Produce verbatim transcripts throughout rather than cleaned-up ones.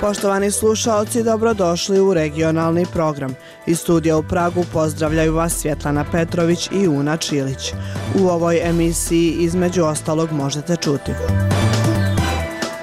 Poštovani slušaoci, dobrodošli u regionalni program. Iz studija u Pragu pozdravljaju vas Svjetlana Petrović i Una Čilić. U ovoj emisiji između ostalog možete čuti: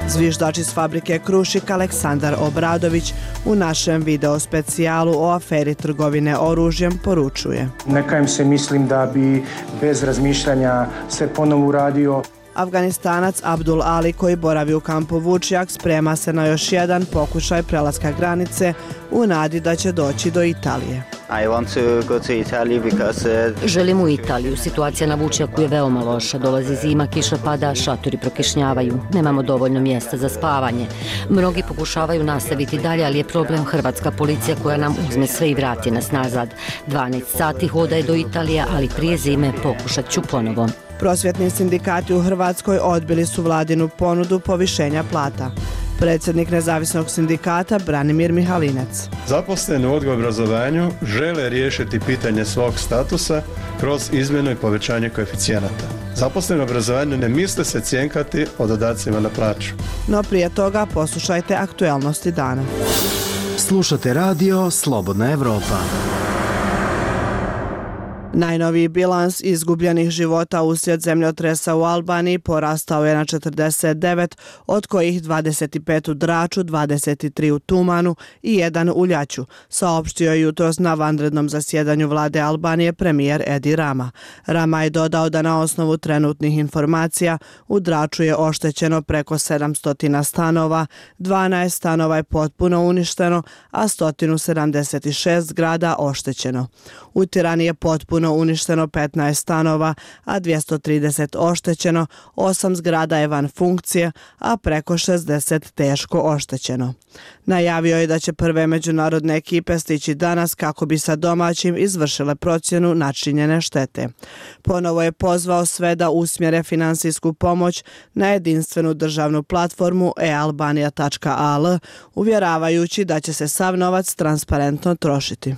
zviždač iz fabrike Krušik Aleksandar Obradović u našem video specijalu o aferi trgovine oružjem poručuje: ne kajem se, mislim da bi bez razmišljanja sve ponovo uradio. Afganistanac Abdul Ali, koji boravi u kampu Vučjak, sprema se na još jedan pokušaj prelaska granice u nadi da će doći do Italije. I want to go to Italy because uh... Želim u Italiju. Situacija na Vučjaku je veoma loša. Dolazi zima, kiša pada, šatori prokišnjavaju. Nemamo dovoljno mjesta za spavanje. Mnogi pokušavaju nastaviti dalje, ali je problem hrvatska policija koja nam uzme sve i vrati nas nazad. dvanaest sati hoda je do Italije, ali prije zime pokušat ću ponovo. Prosvjetni sindikati u Hrvatskoj odbili su vladinu ponudu povišenja plata. Predsjednik nezavisnog sindikata Branimir Mihalinec: zaposleni u odgoju i obrazovanju žele riješiti pitanje svog statusa kroz izmjenu i povećanje koeficijenata. Zaposleni u obrazovanju ne misle se cjenkati o dodacima na plaću. No prije toga poslušajte aktualnosti dana. Slušate radio Slobodna Evropa. Najnoviji bilans izgubljenih života uslijed zemljotresa u Albaniji porastao je na četrdeset devet, od kojih dvadeset pet u Draču, dvadeset tri u Tumanu i jedan u Ljaću, saopštio je jutros na vanrednom zasjedanju vlade Albanije premijer Edi Rama. Rama je dodao da na osnovu trenutnih informacija u Draču je oštećeno preko sedamsto stanova, dvanaest stanova je potpuno uništeno, a sto sedamdeset šest zgrada oštećeno. U Tirani je potpuno uništeno petnaest stanova, a dvjesto trideset oštećeno, osam zgrada je van funkcije, a preko šezdeset teško oštećeno. Najavio je da će prve međunarodne ekipe stići danas kako bi sa domaćim izvršile procjenu načinjene štete. Ponovo je pozvao sve da usmjere finansijsku pomoć na jedinstvenu državnu platformu e albanija tačka a l, uvjeravajući da će se sav novac transparentno trošiti.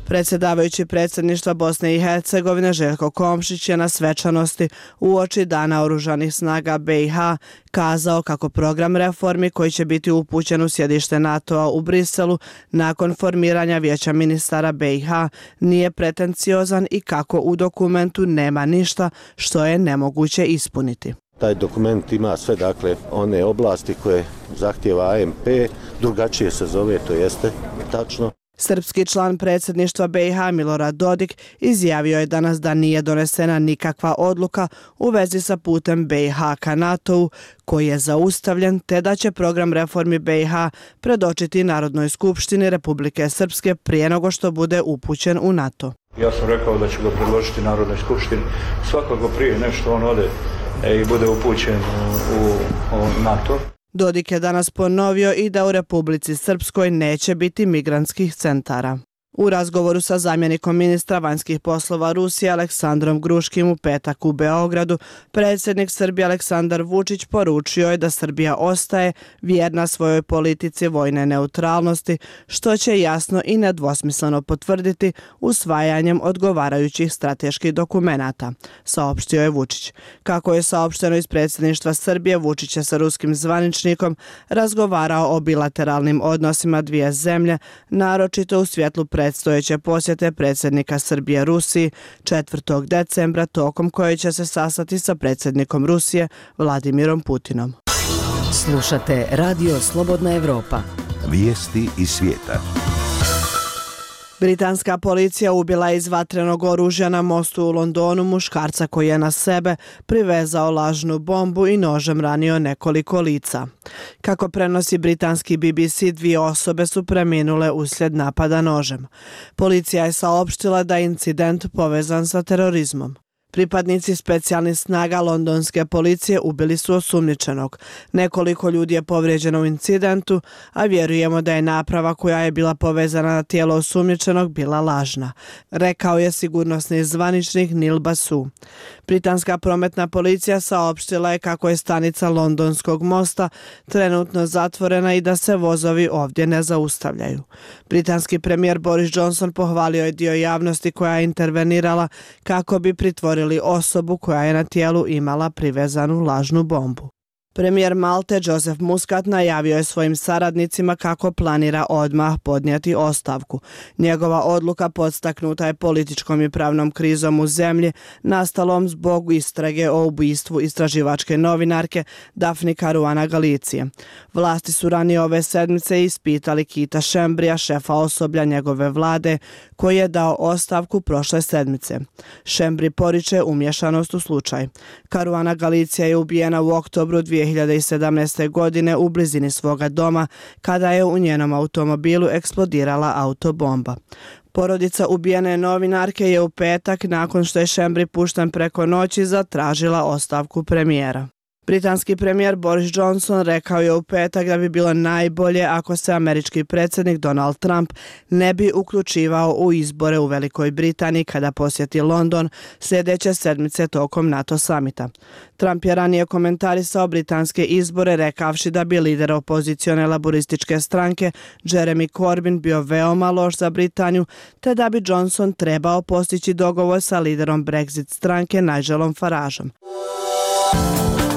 Predsjedavajući predsjedništva Bosne i Hercegovine Željko Komšić je na svečanosti uoči Dana oružanih snaga be i ha kazao kako program reformi koji će biti upućen u sjedište NATO-a u Briselu nakon formiranja Vijeća ministara be i ha nije pretenciozan i kako u dokumentu nema ništa što je nemoguće ispuniti. Taj dokument ima sve, dakle, one oblasti koje zahtjeva a em pe, drugačije se zove, to jeste tačno. Srpski član predsjedništva be i ha Milorad Dodik izjavio je danas da nije donesena nikakva odluka u vezi sa putem be i ha ka NATO-u koji je zaustavljen, te da će program reformi be i ha predočiti Narodnoj skupštini Republike Srpske prije nego što bude upućen u NATO. Ja sam rekao da ću ga predložiti Narodnoj skupštini svakako prije nešto on ode i bude upućen u, u NATO. Dodik je danas ponovio i da u Republici Srpskoj neće biti migrantskih centara. U razgovoru sa zamjenikom ministra vanjskih poslova Rusije Aleksandrom Gruškim u petak u Beogradu, predsjednik Srbije Aleksandar Vučić poručio je da Srbija ostaje vjerna svojoj politici vojne neutralnosti, što će jasno i nedvosmisleno potvrditi usvajanjem odgovarajućih strateških dokumenata, saopštio je Vučić. Kako je saopšteno iz predsjedništva Srbije, Vučić je sa ruskim zvaničnikom razgovarao o bilateralnim odnosima dvije zemlje, naročito u svjetlu predstojeće posjete predsjednika Srbije Rusiji četvrtog decembra, tokom koje će se sastati sa predsjednikom Rusije Vladimirom Putinom. Slušate radio Slobodna Evropa. Vijesti iz svijeta. Britanska policija ubila iz vatrenog oružja na mostu u Londonu muškarca koji je na sebe privezao lažnu bombu i nožem ranio nekoliko lica. Kako prenosi britanski be be ce, dvije osobe su preminule uslijed napada nožem. Policija je saopštila da je incident povezan sa terorizmom. Pripadnici specijalnih snaga londonske policije ubili su osumnjičenog. Nekoliko ljudi je povrijeđeno u incidentu, a vjerujemo da je naprava koja je bila povezana na tijelo osumnjičenog bila lažna, rekao je sigurnosni zvaničnik Neil Basu. Britanska prometna policija saopštila je kako je stanica Londonskog mosta trenutno zatvorena i da se vozovi ovdje ne zaustavljaju. Britanski premijer Boris Johnson pohvalio je dio javnosti koja je intervenirala kako bi pritvorili osobu koja je na tijelu imala privezanu lažnu bombu. Premijer Malte Joseph Muscat najavio je svojim saradnicima kako planira odmah podnijeti ostavku. Njegova odluka podstaknuta je političkom i pravnom krizom u zemlji, nastalom zbog istrage o ubistvu istraživačke novinarke Daphne Caruana Galicije. Vlasti su ranije ove sedmice ispitali Keitha Schembrija, šefa osoblja njegove vlade, koji je dao ostavku prošle sedmice. Schembri poriče umješanost u slučaj. Caruana Galicija je ubijena u oktobru dvije hiljade sedamnaeste. godine u blizini svoga doma kada je u njenom automobilu eksplodirala autobomba. Porodica ubijene novinarke je u petak, nakon što je Schembri pušten preko noći, zatražila ostavku premijera. Britanski premijer Boris Johnson rekao je u petak da bi bilo najbolje ako se američki predsjednik Donald Trump ne bi uključivao u izbore u Velikoj Britaniji kada posjeti London sljedeće sedmice tokom NATO samita. Trump je ranije komentarisao britanske izbore rekavši da bi lider opozicione laborističke stranke Jeremy Corbyn bio veoma loš za Britaniju, te da bi Johnson trebao postići dogovor sa liderom Brexit stranke Nigelom Farageom.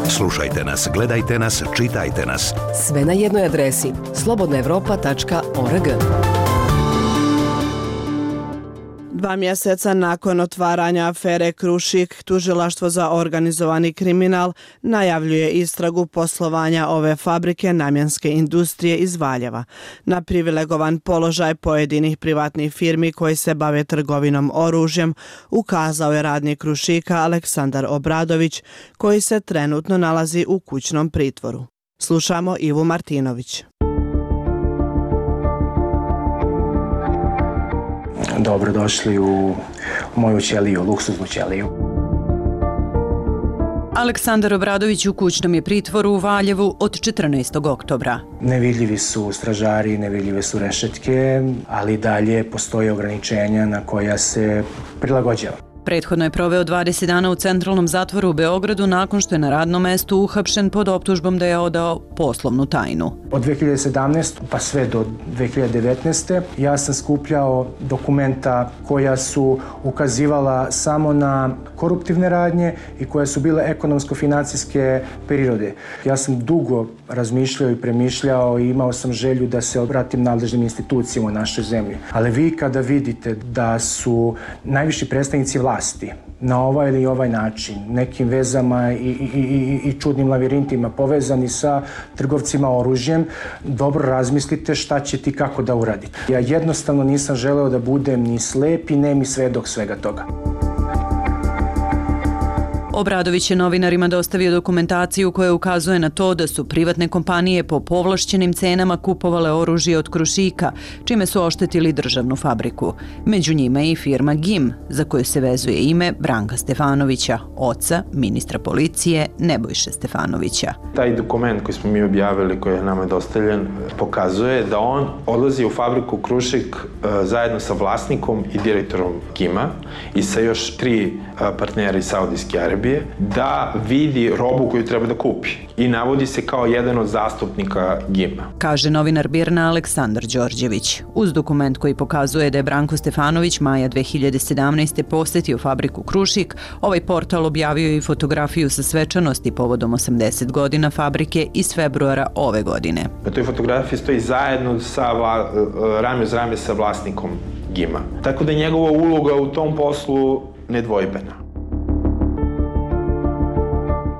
Slušajte nas, gledajte nas, čitajte nas. Sve na jednoj adresi slobodna evropa tačka org. Dva mjeseca nakon otvaranja afere Krušik, tužilaštvo za organizovani kriminal najavljuje istragu poslovanja ove fabrike namjenske industrije iz Valjeva. Na privilegovan položaj pojedinih privatnih firmi koji se bave trgovinom oružjem ukazao je radnik Krušika Aleksandar Obradović, koji se trenutno nalazi u kućnom pritvoru. Slušamo Ivu Martinović. Dobrodošli u moju ćeliju, luksuznu ćeliju. Aleksandar Obradović u kućnom je pritvoru u Valjevu od četrnaestog oktobra. Nevidljivi su stražari, nevidljive su rešetke, ali dalje postoje ograničenja na koja se prilagođava. Prethodno je proveo dvadeset dana u centralnom zatvoru u Beogradu nakon što je na radnom mestu uhapšen pod optužbom da je odao poslovnu tajnu. Od dve hiljade sedamnaeste. pa sve do dve hiljade devetnaeste. ja sam skupljao dokumenta koja su ukazivala samo na koruptivne radnje i koje su bile ekonomsko-financijske prirode. Ja sam dugo razmišljao i premišljao i imao sam želju da se obratim nadležnim institucijama u našoj zemlji. Ali vi kada vidite da su najviši predstavnici vlasti na ovaj ili ovaj način, nekim vezama i, i, i, i čudnim lavirintima povezani sa trgovcima oružjem, dobro razmislite šta ćete i kako da uradite. Ja jednostavno nisam želeo da budem ni slep i nemi svedok svega toga. Obradović je novinarima dostavio dokumentaciju koja ukazuje na to da su privatne kompanije po povlašćenim cenama kupovale oružje od Krušika, čime su oštetili državnu fabriku. Među njima je i firma G I M, za koju se vezuje ime Branka Stefanovića, oca ministra policije Nebojše Stefanovića. Taj dokument koji smo mi objavili, koji je nama dostavljen, pokazuje da on odlazi u fabriku Krušik zajedno sa vlasnikom i direktorom G I M-a i sa još tri partnera iz Saudijske Arabije, da vidi robu koju treba da kupi i navodi se kao jedan od zastupnika G I M-a. Kaže novinar Birna Aleksandar Đorđević. Uz dokument koji pokazuje da je Branko Stefanović maja dve hiljade sedamnaeste. posjetio fabriku Krušik, ovaj portal objavio i fotografiju sa svečanosti povodom osamdeset godina fabrike iz februara ove godine. Na toj fotografiji stoji zajedno sa vla, rame uz rame sa vlasnikom G I M-a. Tako da je njegova uloga u tom poslu nedvojbena.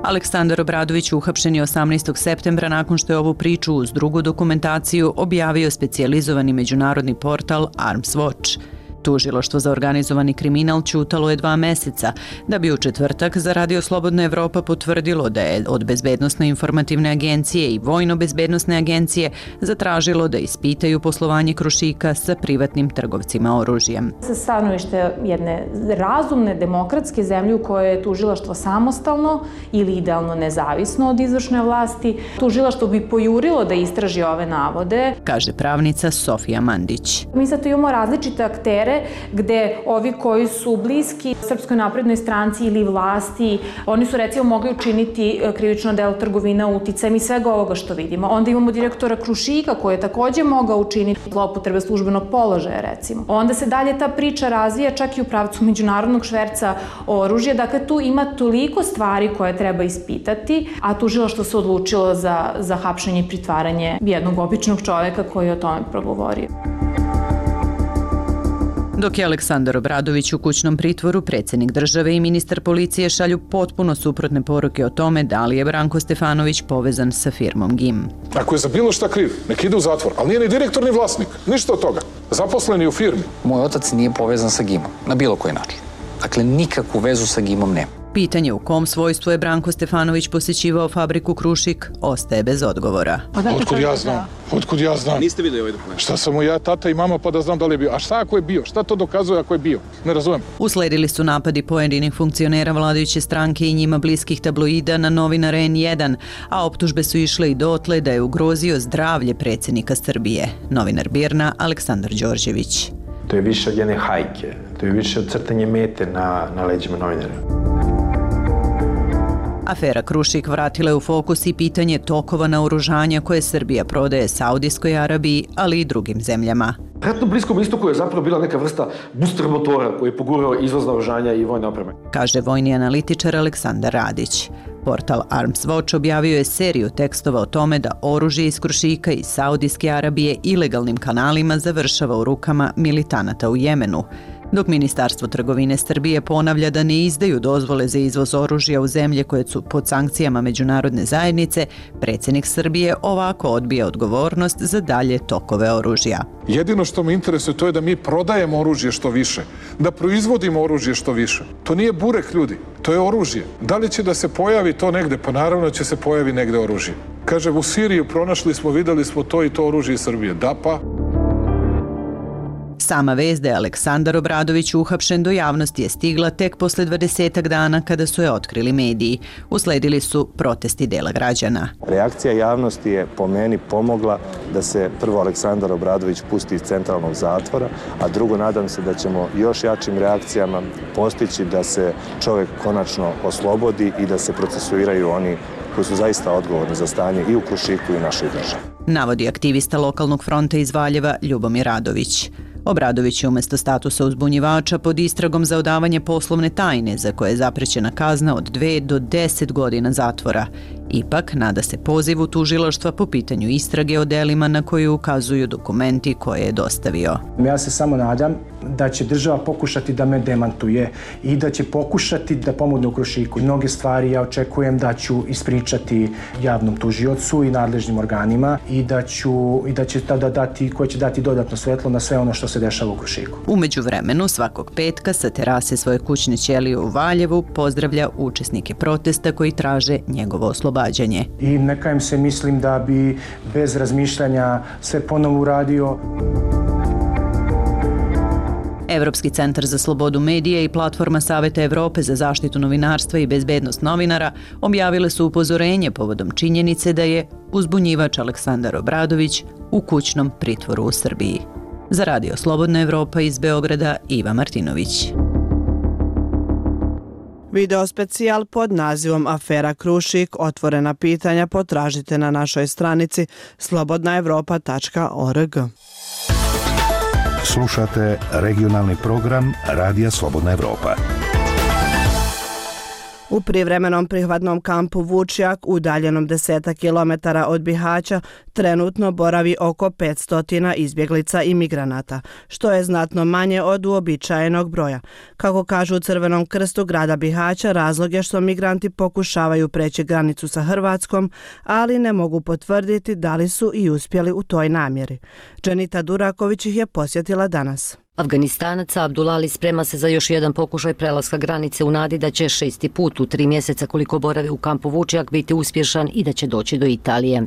Aleksandar Obradović uhapšen je osamnaestog septembra nakon što je ovu priču uz drugu dokumentaciju objavio specijalizovani međunarodni portal Arms Watch. Tužilaštvo za organizovani kriminal ćutalo je dva meseca, da bi u četvrtak za Radio Slobodna Evropa potvrdilo da je od Bezbednosno-informativne agencije i Vojno-bezbednosne agencije zatražilo da ispitaju poslovanje Krušika sa privatnim trgovcima oružjem. Sa stanovište jedne razumne demokratske zemlje u kojoj je tužilaštvo samostalno ili idealno nezavisno od izvršne vlasti, tužilaštvo bi pojurilo da istraži ove navode, kaže pravnica Sofija Mandić. Mi sad tu imamo različite aktere vode, gde ovi koji su bliski Srpskoj naprednoj stranci ili vlasti, oni su recimo mogli učiniti krivično delo trgovina uticajem i svega ovoga što vidimo. Onda imamo direktora Krušika koji je takođe mogao učiniti zloupotrebe službenog položaja, recimo. Onda se dalje ta priča razvija čak i u pravcu međunarodnog šverca oružja. Dakle, tu ima toliko stvari koje treba ispitati, a tužilaštvo se odlučilo za, za hapšenje i pritvaranje jednog običnog čoveka koji je o tome progovorio. Dok je Aleksandar Obradović u kućnom pritvoru, predsjednik države i ministar policije šalju potpuno suprotne poruke o tome da li je Branko Stefanović povezan sa firmom G I M. Ako je za bilo šta kriv, nek ide u zatvor, ali nije ni direktor ni vlasnik, ništa od toga. Zaposleni u firmi. Moj otac nije povezan sa G I M-om, na bilo koji način. Dakle, nikakvu vezu sa G I M-om nema. Pitanje u kom svojstvu je Branko Stefanović posjećivao fabriku Krušik ostaje bez odgovora. Otkud ja znam? Otkud ja znam? Niste vidjeli ovaj dokument? Šta sam mu ja, tata i mama, pa da znam da li je bio? A šta ako je bio? Šta to dokazuje ako je bio? Ne razumem. Usledili su napadi pojedinih funkcionera vladajuće stranke i njima bliskih tabloida na novinara N jedan, a optužbe su išle i dotle da je ugrozio zdravlje predsjednika Srbije. Novinar Birna Aleksandar Đorđević. To je više od jedne hajke, to je više od crtanje mete na, na leđima novinara. Afera Krušik vratila je u fokus i pitanje tokova naoružanja koje Srbija prodaje Saudijskoj Arabiji, ali i drugim zemljama. Na Bliskom istoku je zapravo bila neka vrsta booster motora koji je pogurao izvoz naoružanja i vojne opreme. Kaže vojni analitičar Aleksandar Radić. Portal Arms Watch objavio je seriju tekstova o tome da oružje iz Krušika i Saudijske Arabije ilegalnim kanalima završava u rukama militanata u Jemenu. Dok Ministarstvo trgovine Srbije ponavlja da ne izdaju dozvole za izvoz oružja u zemlje koje su pod sankcijama međunarodne zajednice, predsjednik Srbije ovako odbija odgovornost za dalje tokove oružja. Jedino što me interesuje to je da mi prodajemo oružje što više, da proizvodimo oružje što više. To nije burek, ljudi, to je oružje. Da li će da se pojavi to negde? Pa naravno će se pojavi negde oružje. Kaže, u Siriji pronašli smo, videli smo to i to oružje iz Srbije. Da pa... Sama vest da je Aleksandar Obradović uhapšen do javnosti je stigla tek posle dvadesetak dana kada su je otkrili mediji. Usledili su protesti dela građana. Reakcija javnosti je po meni pomogla da se prvo Aleksandar Obradović pusti iz centralnog zatvora, a drugo nadam se da ćemo još jačim reakcijama postići da se čovjek konačno oslobodi i da se procesuiraju oni koji su zaista odgovorni za stanje i u Krušiku i našoj državi. Navodi aktivista lokalnog fronta iz Valjeva Ljubomir Radović. Obradović je umjesto statusa uzbunjivača pod istragom za odavanje poslovne tajne za koje je zaprećena kazna od dve do deset godina zatvora. Ipak, nada se pozivu tužilaštva po pitanju istrage o delima na koje ukazuju dokumenti koje je dostavio. Ja se samo nadam da će država pokušati da me demantuje i da će pokušati da pomogne u Krušiku. Mnoge stvari ja očekujem da ću ispričati javnom tužiocu i nadležnim organima i da ću i da će tada dati, koje će dati dodatno svetlo na sve ono što se dešava u Krušiku. U međuvremenu, svakog petka sa terase svoje kućne ćelije u Valjevu pozdravlja učesnike protesta koji traže njegovo oslobađanje. I neka im se mislim da bi bez razmišljanja sve ponovo uradio. Evropski centar za slobodu medija i platforma Saveta Evrope za zaštitu novinarstva i bezbednost novinara objavile su upozorenje povodom činjenice da je uzbunjivač Aleksandar Obradović u kućnom pritvoru u Srbiji. Za Radio Slobodna Evropa iz Beograda, Iva Martinović. Video specijal pod nazivom Afera Krušik, otvorena pitanja potražite na našoj stranici slobodna evropa tačka org. Slušate regionalni program Radija Slobodna Evropa. U privremenom prihvatnom kampu Vučjak, udaljenom desetak kilometara od Bihaća, trenutno boravi oko petsto izbjeglica i migranata, što je znatno manje od uobičajenog broja. Kako kažu u Crvenom krstu grada Bihaća, razlog je što migranti pokušavaju preći granicu sa Hrvatskom, ali ne mogu potvrditi da li su i uspjeli u toj namjeri. Dženita Duraković ih je posjetila danas. Afganistanac Abdulali sprema se za još jedan pokušaj prelaska granice u nadi da će šesti put u tri mjeseca koliko boravi u kampu Vučjak biti uspješan i da će doći do Italije.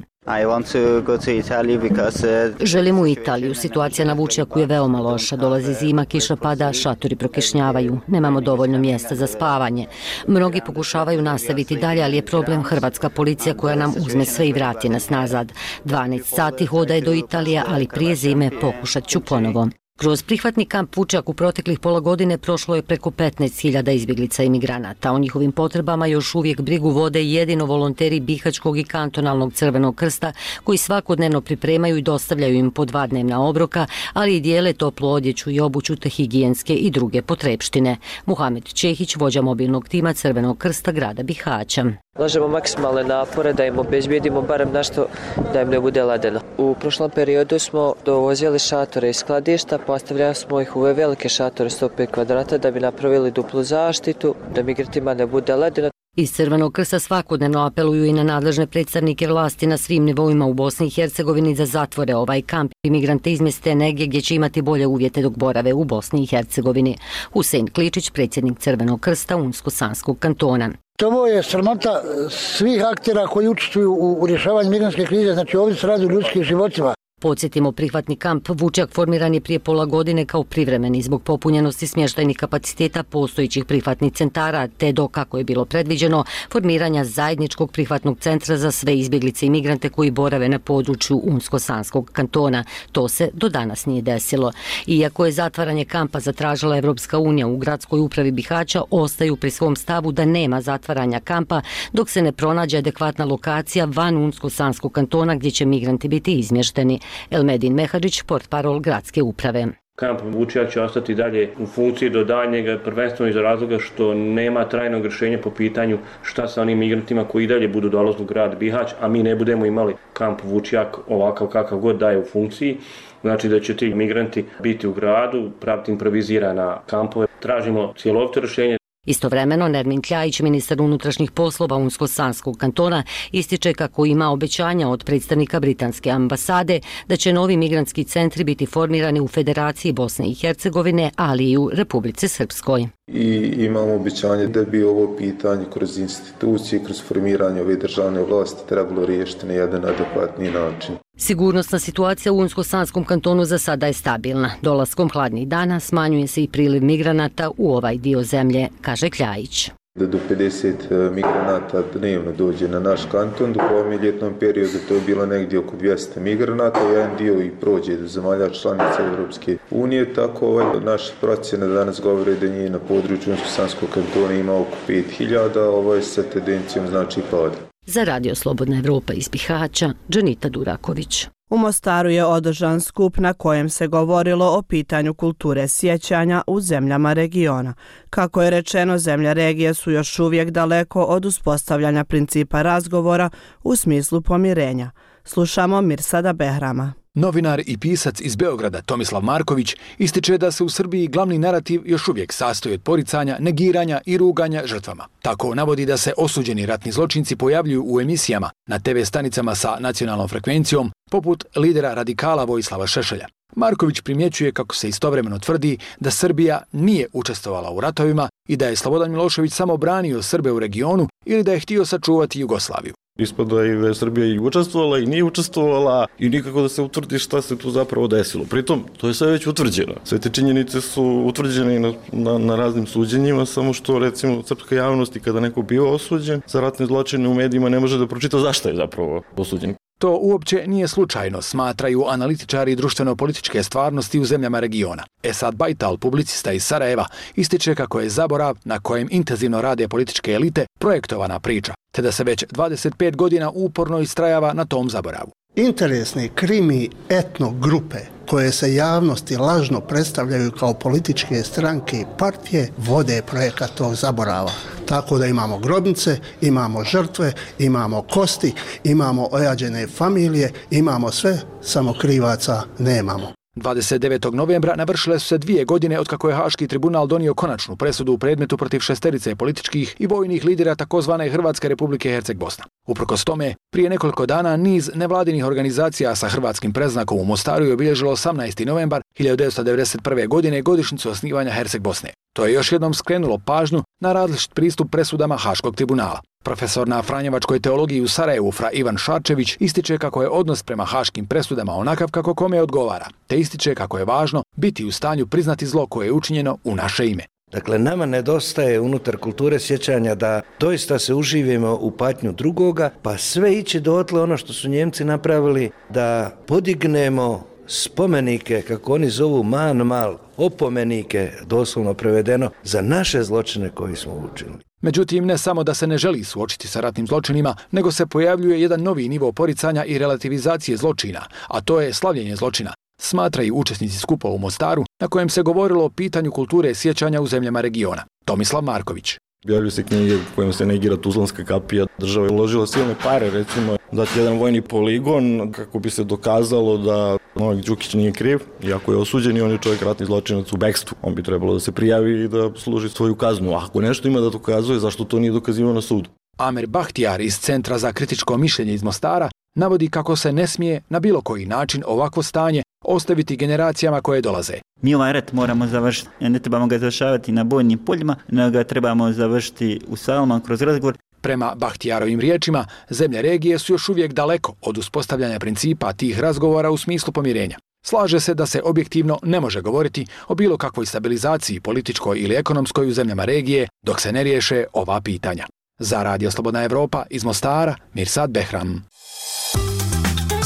Želim u Italiju. Situacija na Vučjaku je veoma loša. Dolazi zima, kiša pada, šatori prokišnjavaju. Nemamo dovoljno mjesta za spavanje. Mnogi pokušavaju nastaviti dalje, ali je problem hrvatska policija koja nam uzme sve i vrati nas nazad. dvanaest sati hoda je do Italije, ali prije zime pokušat ću ponovo. Kroz prihvatni kamp Vučjak u proteklih pola godine prošlo je preko petnaest hiljada izbjeglica i migranata. O njihovim potrebama još uvijek brigu vode jedino volonteri Bihaćkog i kantonalnog Crvenog krsta, koji svakodnevno pripremaju i dostavljaju im po dva dnevna obroka, ali i dijele toplu odjeću i obuću te higijenske i druge potrepštine. Muhamed Čehić, vođa mobilnog tima Crvenog krsta grada Bihaća. Ulažemo maksimalne napore da im obezbijedimo barem nešto da im ne bude ledeno. U prošlom periodu smo dovozili šatore iz skladišta, postavljali smo ih u ove velike šatore sto pet kvadrata da bi napravili duplu zaštitu, da migrantima ne bude ledeno. Iz Crvenog krsta svakodnevno apeluju i na nadležne predstavnike vlasti na svim nivoima u Bosni i Hercegovini da zatvore ovaj kamp i migrante izmjeste negdje gdje će imati bolje uvjete dok borave u Bosni i Hercegovini. Husein Kličić, predsjednik Crvenog krsta Unsko-Sanskog kantona. Ovo je sramota svih aktera koji učestvuju u rješavanju migrantske krize, znači ovdje se radi o ljudskim životima. Podsjetimo, prihvatni kamp Vučjak formiran je prije pola godine kao privremeni zbog popunjenosti smještajnih kapaciteta postojećih prihvatnih centara, te do, kako je bilo predviđeno, formiranja zajedničkog prihvatnog centra za sve izbjeglice i migrante koji borave na području Unsko-Sanskog kantona. To se do danas nije desilo. Iako je zatvaranje kampa zatražila Evropska unija, u gradskoj upravi Bihaća ostaju pri svom stavu da nema zatvaranja kampa dok se ne pronađe adekvatna lokacija van Unsko-Sanskog kantona gdje će migranti biti izmješteni. Elmedin Mehadžić, portparol gradske uprave. Kamp Vučjak će ostati dalje u funkciji do daljnjega, prvenstveno iz razloga što nema trajnog rješenja po pitanju šta sa onim migrantima koji dalje budu dolazili u grad Bihać, a mi ne budemo imali kamp Vučjak ovakav kakav god daje u funkciji. Znači da će ti migranti biti u gradu, praviti improvizirana kampove. Tražimo cjelovito rješenje. Istovremeno, Nermin Kljajić, ministar unutrašnjih poslova Unsko-Sanskog kantona, ističe kako ima obećanja od predstavnika britanske ambasade da će novi migrantski centri biti formirani u Federaciji Bosne i Hercegovine, ali i u Republici Srpskoj. I imamo obećanje da bi ovo pitanje kroz institucije, kroz formiranje ove državne vlasti trebalo riješiti na jedan adekvatni način. Sigurnosna situacija u Unsko-Sanskom kantonu za sada je stabilna. Dolaskom hladnih dana smanjuje se i priliv migranata u ovaj dio zemlje, kaže Kljajić. Da do pedeset migranata dnevno dođe na naš kanton, dok u ovom ljetnom periodu to je bilo negdje oko dvjesto migranata, jedan dio i prođe do zemalja članica Europske unije, tako ovaj, naše procjene danas govore da njih na području Unsko-Sanskog kantona ima oko pet hiljada, ovo je sa tendencijom znači pada. Za Radio Slobodna Evropa iz Bihaća, Džanita Duraković. U Mostaru je održan skup na kojem se govorilo o pitanju kulture sjećanja u zemljama regiona. Kako je rečeno, zemlje regije su još uvijek daleko od uspostavljanja principa razgovora u smislu pomirenja. Slušamo Mirsada Behrama. Novinar i pisac iz Beograda Tomislav Marković ističe da se u Srbiji glavni narativ još uvijek sastoji od poricanja, negiranja i ruganja žrtvama. Tako navodi da se osuđeni ratni zločinci pojavljuju u emisijama na te ve stanicama sa nacionalnom frekvencijom, poput lidera radikala Vojislava Šešelja. Marković primjećuje kako se istovremeno tvrdi da Srbija nije učestvovala u ratovima i da je Slobodan Milošević samo branio Srbe u regionu ili da je htio sačuvati Jugoslaviju. Ispada i da je Srbija i učestvovala i nije učestvovala i nikako da se utvrdi šta se tu zapravo desilo. Pritom, to je sve već utvrđeno. Sve te činjenice su utvrđene na, na, na raznim suđenjima, samo što recimo srpska javnost i kada neko bio osuđen za ratne zločine u medijima ne može da pročita zašto je zapravo osuđen. To uopće nije slučajno, smatraju analitičari društveno-političke stvarnosti u zemljama regiona. Esad Bajtal, publicista iz Sarajeva, ističe kako je zaborav na kojem intenzivno rade političke elite projektovana priča, te da se već dvadeset pet godina uporno istrajava na tom zaboravu. Interesne krimi etno grupe koje se javnosti lažno predstavljaju kao političke stranke i partije vode projekat tog zaborava. Tako da imamo grobnice, imamo žrtve, imamo kosti, imamo ojađene familije, imamo sve, samo krivaca nemamo. dvadeset devetog novembra navršile su se dvije godine otkako je Haški tribunal donio konačnu presudu u predmetu protiv šesterice političkih i vojnih lidera takozvane Hrvatske republike Herceg-Bosna. Uprkos tome, prije nekoliko dana niz nevladinih organizacija sa hrvatskim predznakom u Mostaru je obilježilo osamnaesti novembar hiljadu devetsto devedeset prve. godine godišnjicu osnivanja Herceg-Bosne. To je još jednom skrenulo pažnju na različit pristup presudama Haškog tribunala. Profesor na Franjevačkoj teologiji u Sarajevu Fra Ivan Šarčević ističe kako je odnos prema haškim presudama onakav kako kome odgovara, te ističe kako je važno biti u stanju priznati zlo koje je učinjeno u naše ime. Dakle, nama nedostaje unutar kulture sjećanja da doista se uživimo u patnju drugoga, pa sve ići dotle ono što su Njemci napravili, da podignemo spomenike, kako oni zovu man mal, opomenike, doslovno prevedeno, za naše zločine koji smo učinili. Međutim, ne samo da se ne želi suočiti sa ratnim zločinima, nego se pojavljuje jedan novi nivo poricanja i relativizacije zločina, a to je slavljenje zločina, smatraju učesnici skupa u Mostaru, na kojem se govorilo o pitanju kulture sjećanja u zemljama regiona. Tomislav Marković. Objavljuju se knjige u kojima se negira Tuzlanska kapija. Država je uložila silne pare, recimo, dati jedan vojni poligon kako bi se dokazalo da Novak Đukić nije kriv, iako je osuđen i on je čovjek ratni zločinac u bekstvu. On bi trebalo da se prijavi i da služi svoju kaznu. Ako nešto ima da dokazuje, zašto to nije dokazivano na sudu? Amer Bahtijar iz Centra za kritičko mišljenje iz Mostara navodi kako se ne smije na bilo koji način ovakvo stanje ostaviti generacijama koje dolaze. Mi ovaj rat moramo završiti. Ne trebamo ga završavati na bojnim poljima, nego ga trebamo završiti u salama kroz razgovor. Prema Bahtijarovim riječima, zemlje regije su još uvijek daleko od uspostavljanja principa tih razgovora u smislu pomirenja. Slaže se da se objektivno ne može govoriti o bilo kakvoj stabilizaciji političkoj ili ekonomskoj u zemljama regije dok se ne riješe ova pitanja. Za Radio Slobodna Evropa iz Mostara, Mirsad Behram.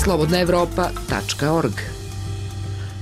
slobodna evropa tačka org.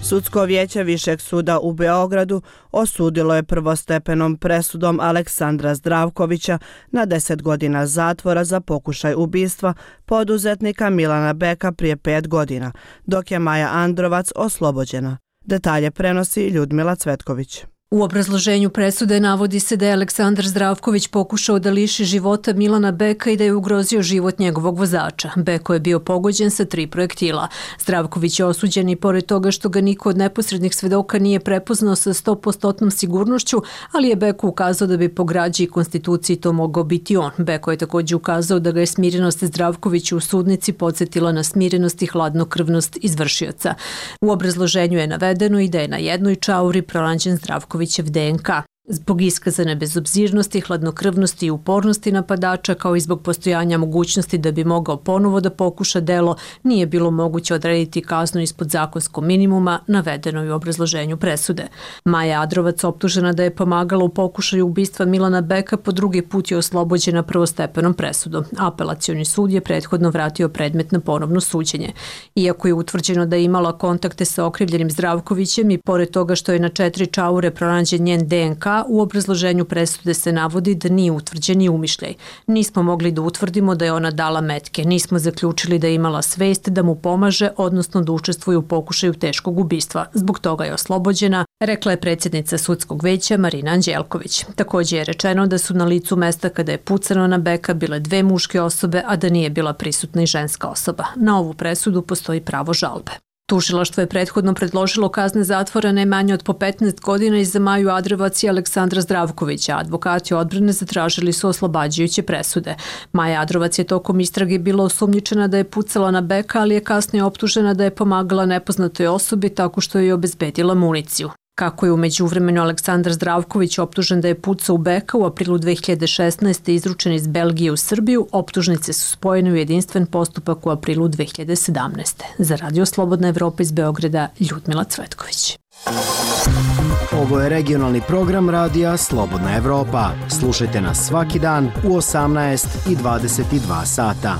Sudsko vijeće Višeg suda u Beogradu osudilo je prvostepenom presudom Aleksandra Zdravkovića na deset godina zatvora za pokušaj ubistva poduzetnika Milana Beka prije pet godina, dok je Maja Androvac oslobođena. Detalje prenosi Ljudmila Cvetković. U obrazloženju presude navodi se da je Aleksandar Zdravković pokušao da liši života Milana Beka i da je ugrozio život njegovog vozača. Beko je bio pogođen sa tri projektila. Zdravković je osuđen i pored toga što ga niko od neposrednih svedoka nije prepoznao sa sto posto sigurnošću, ali je Beko ukazao da bi po građi i konstituciji to mogao biti on. Beko je također ukazao da ga je smirenost Zdravkovića u sudnici podsjetila na smirenost i hladnokrvnost izvršioca. U obrazloženju je navedeno i da je na jednoj čauri pronađen Zdravković D N K. Zbog iskazane bezobzirnosti, hladnokrvnosti i upornosti napadača, kao i zbog postojanja mogućnosti da bi mogao ponovo da pokuša delo, nije bilo moguće odrediti kaznu ispod zakonskog minimuma, navedeno je u obrazloženju presude. Maja Adrovac, optužena da je pomagala u pokušaju ubistva Milana Beka, po drugi put je oslobođena prvostepenom presudom. Apelacioni sud je prethodno vratio predmet na ponovno suđenje. Iako je utvrđeno da je imala kontakte sa okrivljenim Zdravkovićem i pored toga što je na četiri čaure pronađen njen D N K, u obrazloženju presude se navodi da nije utvrđen i umišljaj. Nismo mogli da utvrdimo da je ona dala metke, nismo zaključili da je imala svest da mu pomaže, odnosno da učestvuje u pokušaju teškog ubistva. Zbog toga je oslobođena, rekla je predsjednica sudskog veća Marina Anđelković. Također je rečeno da su na licu mesta kada je pucano na Beka bile dve muške osobe, a da nije bila prisutna i ženska osoba. Na ovu presudu postoji pravo žalbe. Tužilaštvo je prethodno predložilo kazne zatvora ne manje od po petnaest godina i za Maju Adrovac i Aleksandra Zdravkovića. Advokati odbrane zatražili su oslobađajuće presude. Maja Adrovac je tokom istrage bila osumnjičena da je pucala na Beka, ali je kasnije optužena da je pomagala nepoznatoj osobi tako što je obezbedila municiju. Kako je u međuvremenu Aleksandar Zdravković optužen da je pucao u Beka u aprilu dve hiljade šesnaeste. izručen iz Belgije u Srbiju, optužnice su spojene u jedinstven postupak u aprilu dve hiljade sedamnaeste. Za Radio Slobodna Evropa iz Beograda, Ljudmila Cvetković. Ovo je regionalni program Radija Slobodna Evropa. Slušajte nas svaki dan u osamnaest i dvadeset dva sata.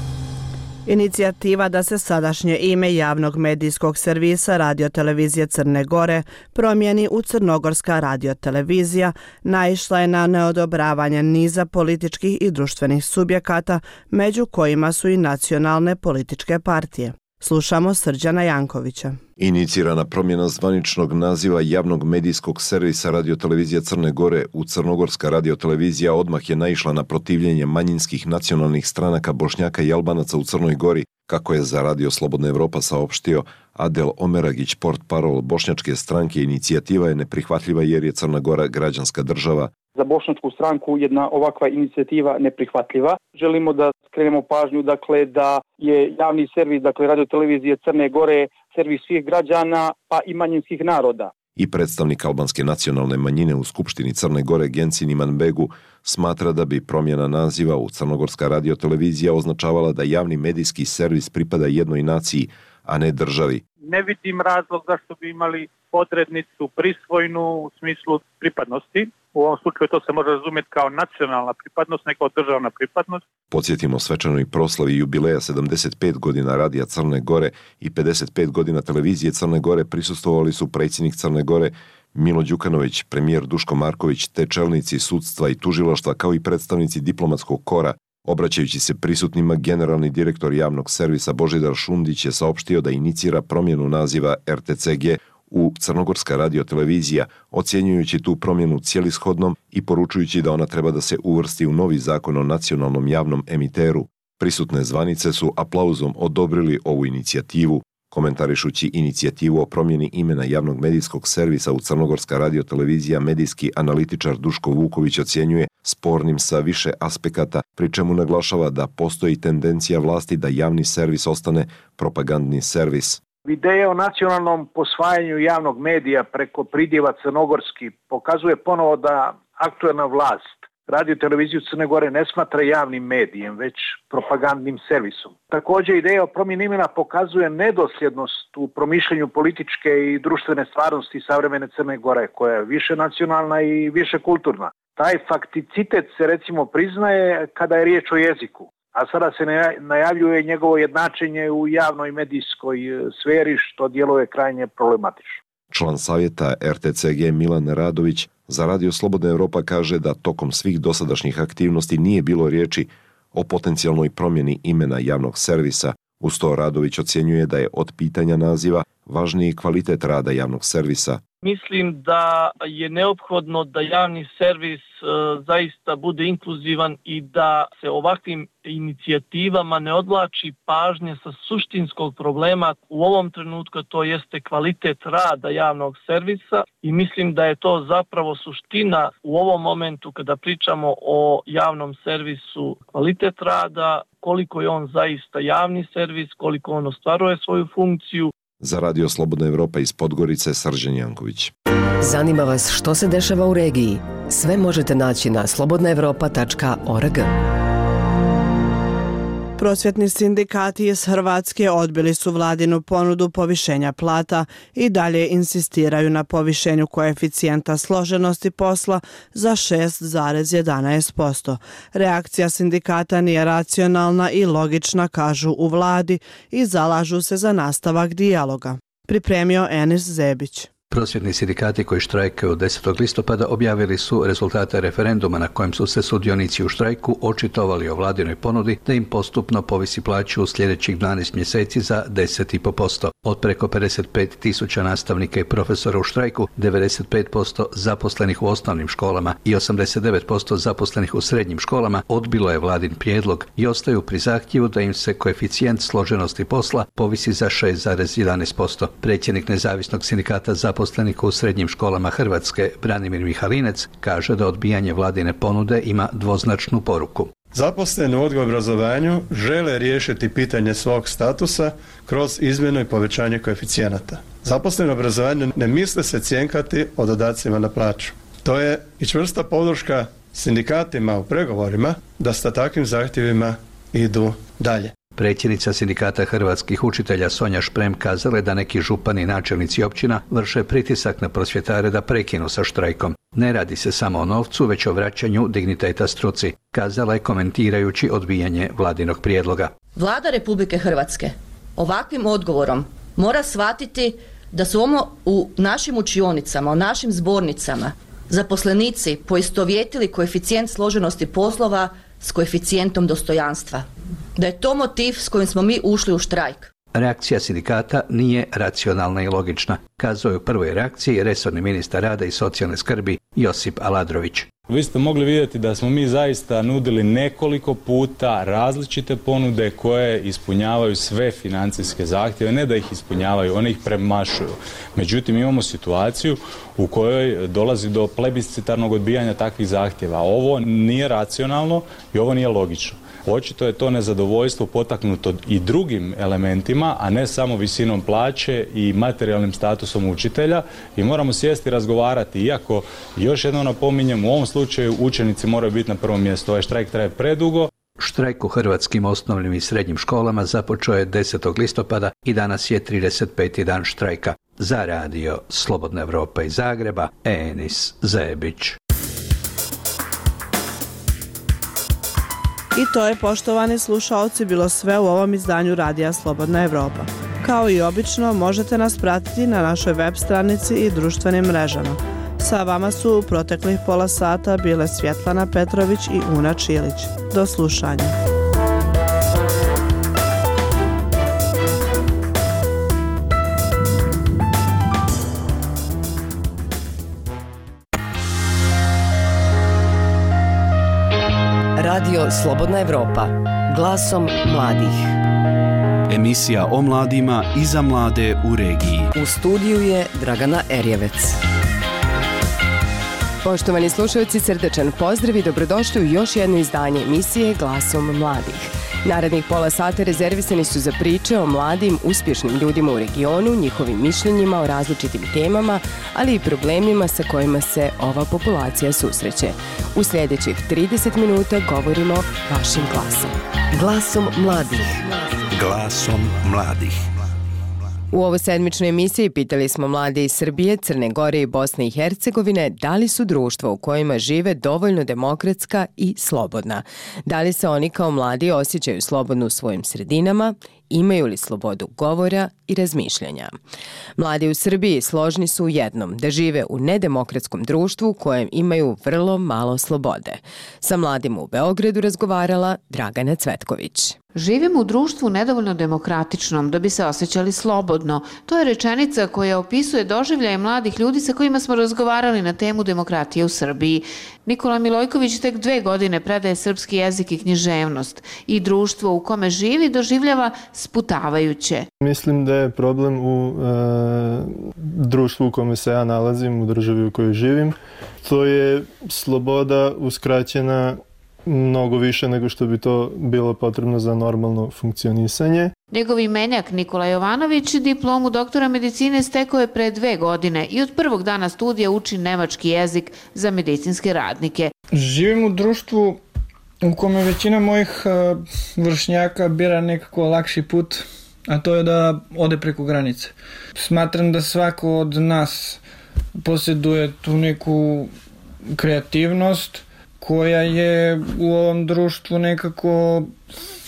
Inicijativa da se sadašnje ime javnog medijskog servisa radiotelevizije Crne Gore promijeni u Crnogorska radiotelevizija naišla je na neodobravanje niza političkih i društvenih subjekata, među kojima su i nacionalne političke partije. Slušamo Srđana Jankovića. Inicirana promjena zvaničnog naziva javnog medijskog servisa radiotelevizija Crne Gore u Crnogorska radiotelevizija odmah je naišla na protivljenje manjinskih nacionalnih stranaka Bošnjaka i Albanaca u Crnoj Gori, kako je za Radio Slobodna Evropa saopštio Adel Omeragić, portparol bošnjačke stranke. Inicijativa je neprihvatljiva jer je Crna Gora građanska država. Za bošnjačku stranku jedna ovakva inicijativa neprihvatljiva. Želimo da skrenemo pažnju, dakle, da je javni servis, dakle, radiotelevizije Crne Gore, servis svih građana, pa i manjinskih naroda. I predstavnik albanske nacionalne manjine u Skupštini Crne Gore Gencin Imanbegu smatra da bi promjena naziva u Crnogorska radiotelevizija označavala da javni medijski servis pripada jednoj naciji, a ne državi. Ne vidim razlog zašto bi imali odrednicu prisvojnu u smislu pripadnosti. U ovom slučaju to se može razumjeti kao nacionalna pripadnost, ne kao državna pripadnost. Podsjetimo svečanoj proslavi jubileja sedamdeset pet godina Radija Crne Gore i pedeset pet godina Televizije Crne Gore prisustvovali su predsjednik Crne Gore Milo Đukanović, premijer Duško Marković, te čelnici sudstva i tužilaštva kao i predstavnici diplomatskog kora. Obraćajući se prisutnima, generalni direktor javnog servisa Božidar Šundić je saopštio da inicira promjenu naziva R T C G u Crnogorska radiotelevizija, ocjenjujući tu promjenu cijelishodnom i poručujući da ona treba da se uvrsti u novi zakon o nacionalnom javnom emiteru. Prisutne zvanice su aplauzom odobrili ovu inicijativu. Komentarišući inicijativu o promjeni imena javnog medijskog servisa u Crnogorska radiotelevizija, medijski analitičar Duško Vuković ocjenjuje spornim sa više aspekata, pri čemu naglašava da postoji tendencija vlasti da javni servis ostane propagandni servis. Ideja o nacionalnom posvajanju javnog medija preko pridjeva crnogorski pokazuje ponovo da aktuelna vlast Radio televiziju Crne Gore ne smatra javnim medijem, već propagandnim servisom. Također, ideja o promjeni imena pokazuje nedosljednost u promišljanju političke i društvene stvarnosti savremene Crne Gore, koja je više nacionalna i više kulturna. Taj fakticitet se recimo priznaje kada je riječ o jeziku, a sada se najavljuje njegovo jednačenje u javnoj medijskoj sferi, što djeluje krajnje problematično. Član savjeta R T C G Milan Radović za Radio Slobodna Evropa kaže da tokom svih dosadašnjih aktivnosti nije bilo riječi o potencijalnoj promjeni imena javnog servisa. Uz to Radović ocjenjuje da je od pitanja naziva važniji kvalitet rada javnog servisa. Mislim da je neophodno da javni servis e, zaista bude inkluzivan i da se ovakvim inicijativama ne odvlači pažnje sa suštinskog problema. U ovom trenutku to jeste kvalitet rada javnog servisa i mislim da je to zapravo suština u ovom momentu kada pričamo o javnom servisu, kvalitet rada, koliko je on zaista javni servis, koliko on ostvaruje svoju funkciju. Za Radio Slobodna Evropa iz Podgorice, Srđan Janković. Zanima vas što se dešava u regiji? Sve možete naći na slobodna evropa tačka org. Prosvjetni sindikati iz Hrvatske odbili su vladinu ponudu povišenja plata i dalje insistiraju na povišenju koeficijenta složenosti posla za šest zarez jedanaest posto. Reakcija sindikata nije racionalna i logična, kažu u vladi, i zalažu se za nastavak dijaloga. Pripremio Enis Zebić. Prosvjetni sindikati koji štrajkaju od desetog listopada objavili su rezultate referenduma na kojem su se sudionici u štrajku očitovali o vladinoj ponudi da im postupno povisi plaću u sljedećih dvanaest mjeseci za deset zarez pet posto. Od preko pedeset pet tisuća nastavnika i profesora u štrajku, devedeset pet posto zaposlenih u osnovnim školama i osamdeset devet posto zaposlenih u srednjim školama odbilo je vladin prijedlog i ostaju pri zahtjevu da im se koeficijent složenosti posla povisi za šest zarez jedanaest posto. Predsjednik nezavisnog sindikata zaposlenih zaposlenika u srednjim školama Hrvatske, Branimir Mihalinec, kaže da odbijanje vladine ponude ima dvoznačnu poruku. Zaposleni u odgoju i obrazovanju žele riješiti pitanje svog statusa kroz izmjenu i povećanje koeficijenata. Zaposleni u obrazovanju ne misle se cjenkati o dodacima na plaću. To je i čvrsta podrška sindikatima u pregovorima da sa takvim zahtjevima idu dalje. Predsjednica sindikata hrvatskih učitelja Sonja Šprem kazala je da neki župani i načelnici općina vrše pritisak na prosvjetare da prekinu sa štrajkom. Ne radi se samo o novcu, već o vraćanju digniteta struci, kazala je komentirajući odbijanje vladinog prijedloga. Vlada Republike Hrvatske ovakvim odgovorom mora shvatiti da su ono u našim učionicama, u našim zbornicama zaposlenici poistovjetili koeficijent složenosti poslova s koeficijentom dostojanstva. Da je to motiv s kojim smo mi ušli u štrajk. Reakcija sindikata nije racionalna i logična, kazao je u prvoj reakciji resorni ministar rada i socijalne skrbi Josip Aladrović. Vi ste mogli vidjeti da smo mi zaista nudili nekoliko puta različite ponude koje ispunjavaju sve financijske zahtjeve, ne da ih ispunjavaju, one ih premašuju. Međutim, imamo situaciju u kojoj dolazi do plebiscitarnog odbijanja takvih zahtjeva. Ovo nije racionalno i ovo nije logično. Očito je to nezadovoljstvo potaknuto i drugim elementima, a ne samo visinom plaće i materijalnim statusom učitelja, i moramo sjesti i razgovarati, iako još jednom napominjem, u ovom slučaju učenici moraju biti na prvom mjestu. Ovaj štrajk traje predugo. Štrajk u hrvatskim osnovnim i srednjim školama započeo je desetog listopada i danas je trideset peti dan štrajka. Za radio Slobodna Evropa iz Zagreba, Enis Zebić. I to je, poštovani slušaoci, bilo sve u ovom izdanju radija Slobodna Evropa. Kao i obično, možete nas pratiti na našoj web stranici i društvenim mrežama. Sa vama su u proteklih pola sata bile Svjetlana Petrović i Una Čilić. Do slušanja. Radio Slobodna Evropa, glasom mladih. Emisija o mladima i za mlade u regiji. U studiju je Dragana Erjevec. Poštovani slušalci, srdečan pozdrav i dobrodošli u još jedno izdanje emisije Glasom mladih. Narednih pola sata rezervisani su za priče o mladim, uspješnim ljudima u regionu, njihovim mišljenjima o različitim temama, ali i problemima sa kojima se ova populacija susreće. U sljedećih trideset minuta govorimo vašim glasom. Glasom mladih. Glasom mladih. U ovoj sedmičnoj emisiji pitali smo mlade iz Srbije, Crne Gore i Bosne i Hercegovine da li su društva u kojima žive dovoljno demokratska i slobodna. Da li se oni kao mladi osjećaju slobodno u svojim sredinama, imaju li slobodu govora i razmišljanja. Mladi u Srbiji složni su u jednom, da žive u nedemokratskom društvu u kojem imaju vrlo malo slobode. Sa mladima u Beogradu razgovarala Dragana Cvetković. Živimo u društvu nedovoljno demokratičnom da bi se osjećali slobodno. To je rečenica koja opisuje doživljaje mladih ljudi sa kojima smo razgovarali na temu demokratije u Srbiji. Nikola Milojković tek dve godine predaje srpski jezik i književnost i društvo u kome živi doživljava sputavajuće. Mislim da je problem u e, društvu u kome se ja nalazim, u državi u kojoj živim. To je sloboda uskraćena mnogo više nego što bi to bilo potrebno za normalno funkcionisanje. Njegov imenjak Nikola Jovanović diplomu doktora medicine stekao je pre dve godine i od prvog dana studija uči nemački jezik za medicinske radnike. Živim u društvu u kome većina mojih vršnjaka bira nekako lakši put, a to je da ode preko granice. Smatram da svako od nas posjeduje tu neku kreativnost koja je u ovom društvu nekako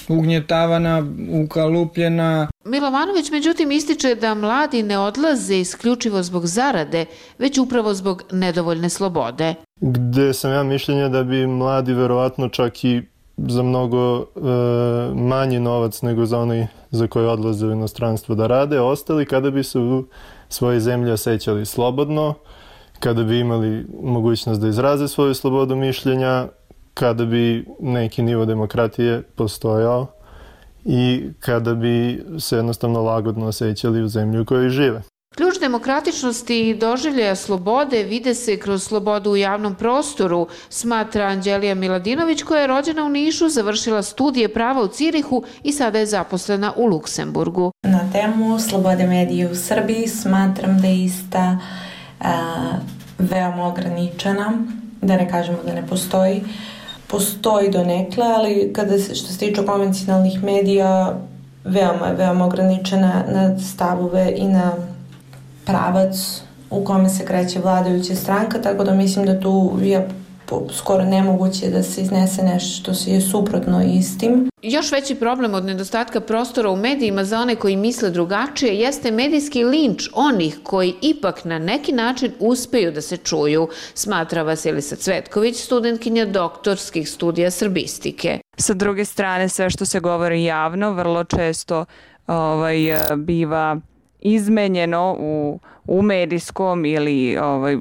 ugnjetavana, ukalupljena. Milovanović međutim ističe da mladi ne odlaze isključivo zbog zarade, već upravo zbog nedovoljne slobode. Gde sam ja mišljenja da bi mladi verovatno čak i za mnogo e, manji novac nego za onaj za koje odlaze u inostranstvo da rade, ostali kada bi se u svojoj zemlji osjećali slobodno, kada bi imali mogućnost da izraze svoju slobodu mišljenja, kada bi neki nivo demokratije postojao i kada bi se jednostavno lagodno osjećali u zemlji u kojoj žive. Ključ demokratičnosti i doživljaja slobode vide se kroz slobodu u javnom prostoru, smatra Anđelija Miladinović, koja je rođena u Nišu, završila studije prava u Cirihu i sada je zaposlena u Luksemburgu. Na temu slobode medija u Srbiji smatram da je ista a, veoma ograničena, da ne kažemo da ne postoji. Postoji donekle, ali kada se, što se tiče konvencionalnih medija, veoma je veoma ograničena na stavove i na pravac u kome se kreće vladajuća stranka, tako da mislim da tu je skoro nemoguće da se iznese nešto što je suprotno istim. Još veći problem od nedostatka prostora u medijima za one koji misle drugačije jeste medijski linč onih koji ipak na neki način uspeju da se čuju, smatra Vasilisa Cvetković, studentkinja doktorskih studija srbistike. Sa druge strane, sve što se govori javno vrlo često ovaj, biva izmenjeno u, u medijskom ili ovaj,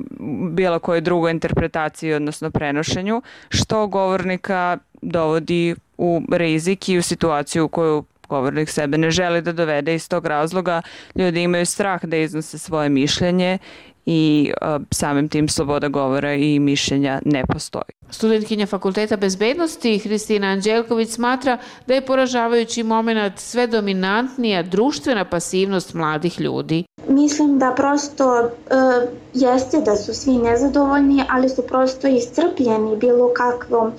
bilo kojoj drugoj interpretaciji, odnosno prenošenju, što govornika dovodi u rizik i u situaciju u koju govornik sebe ne želi da dovede. Iz tog razloga ljudi imaju strah da iznose svoje mišljenje i uh, samim tim sloboda govora i mišljenja ne postoji. Studentkinja Fakulteta bezbednosti Hristina Anđelković smatra da je poražavajući moment sve dominantnija društvena pasivnost mladih ljudi. Mislim da prosto e, jeste da su svi nezadovoljni, ali su prosto iscrpljeni bilo kakvom, e,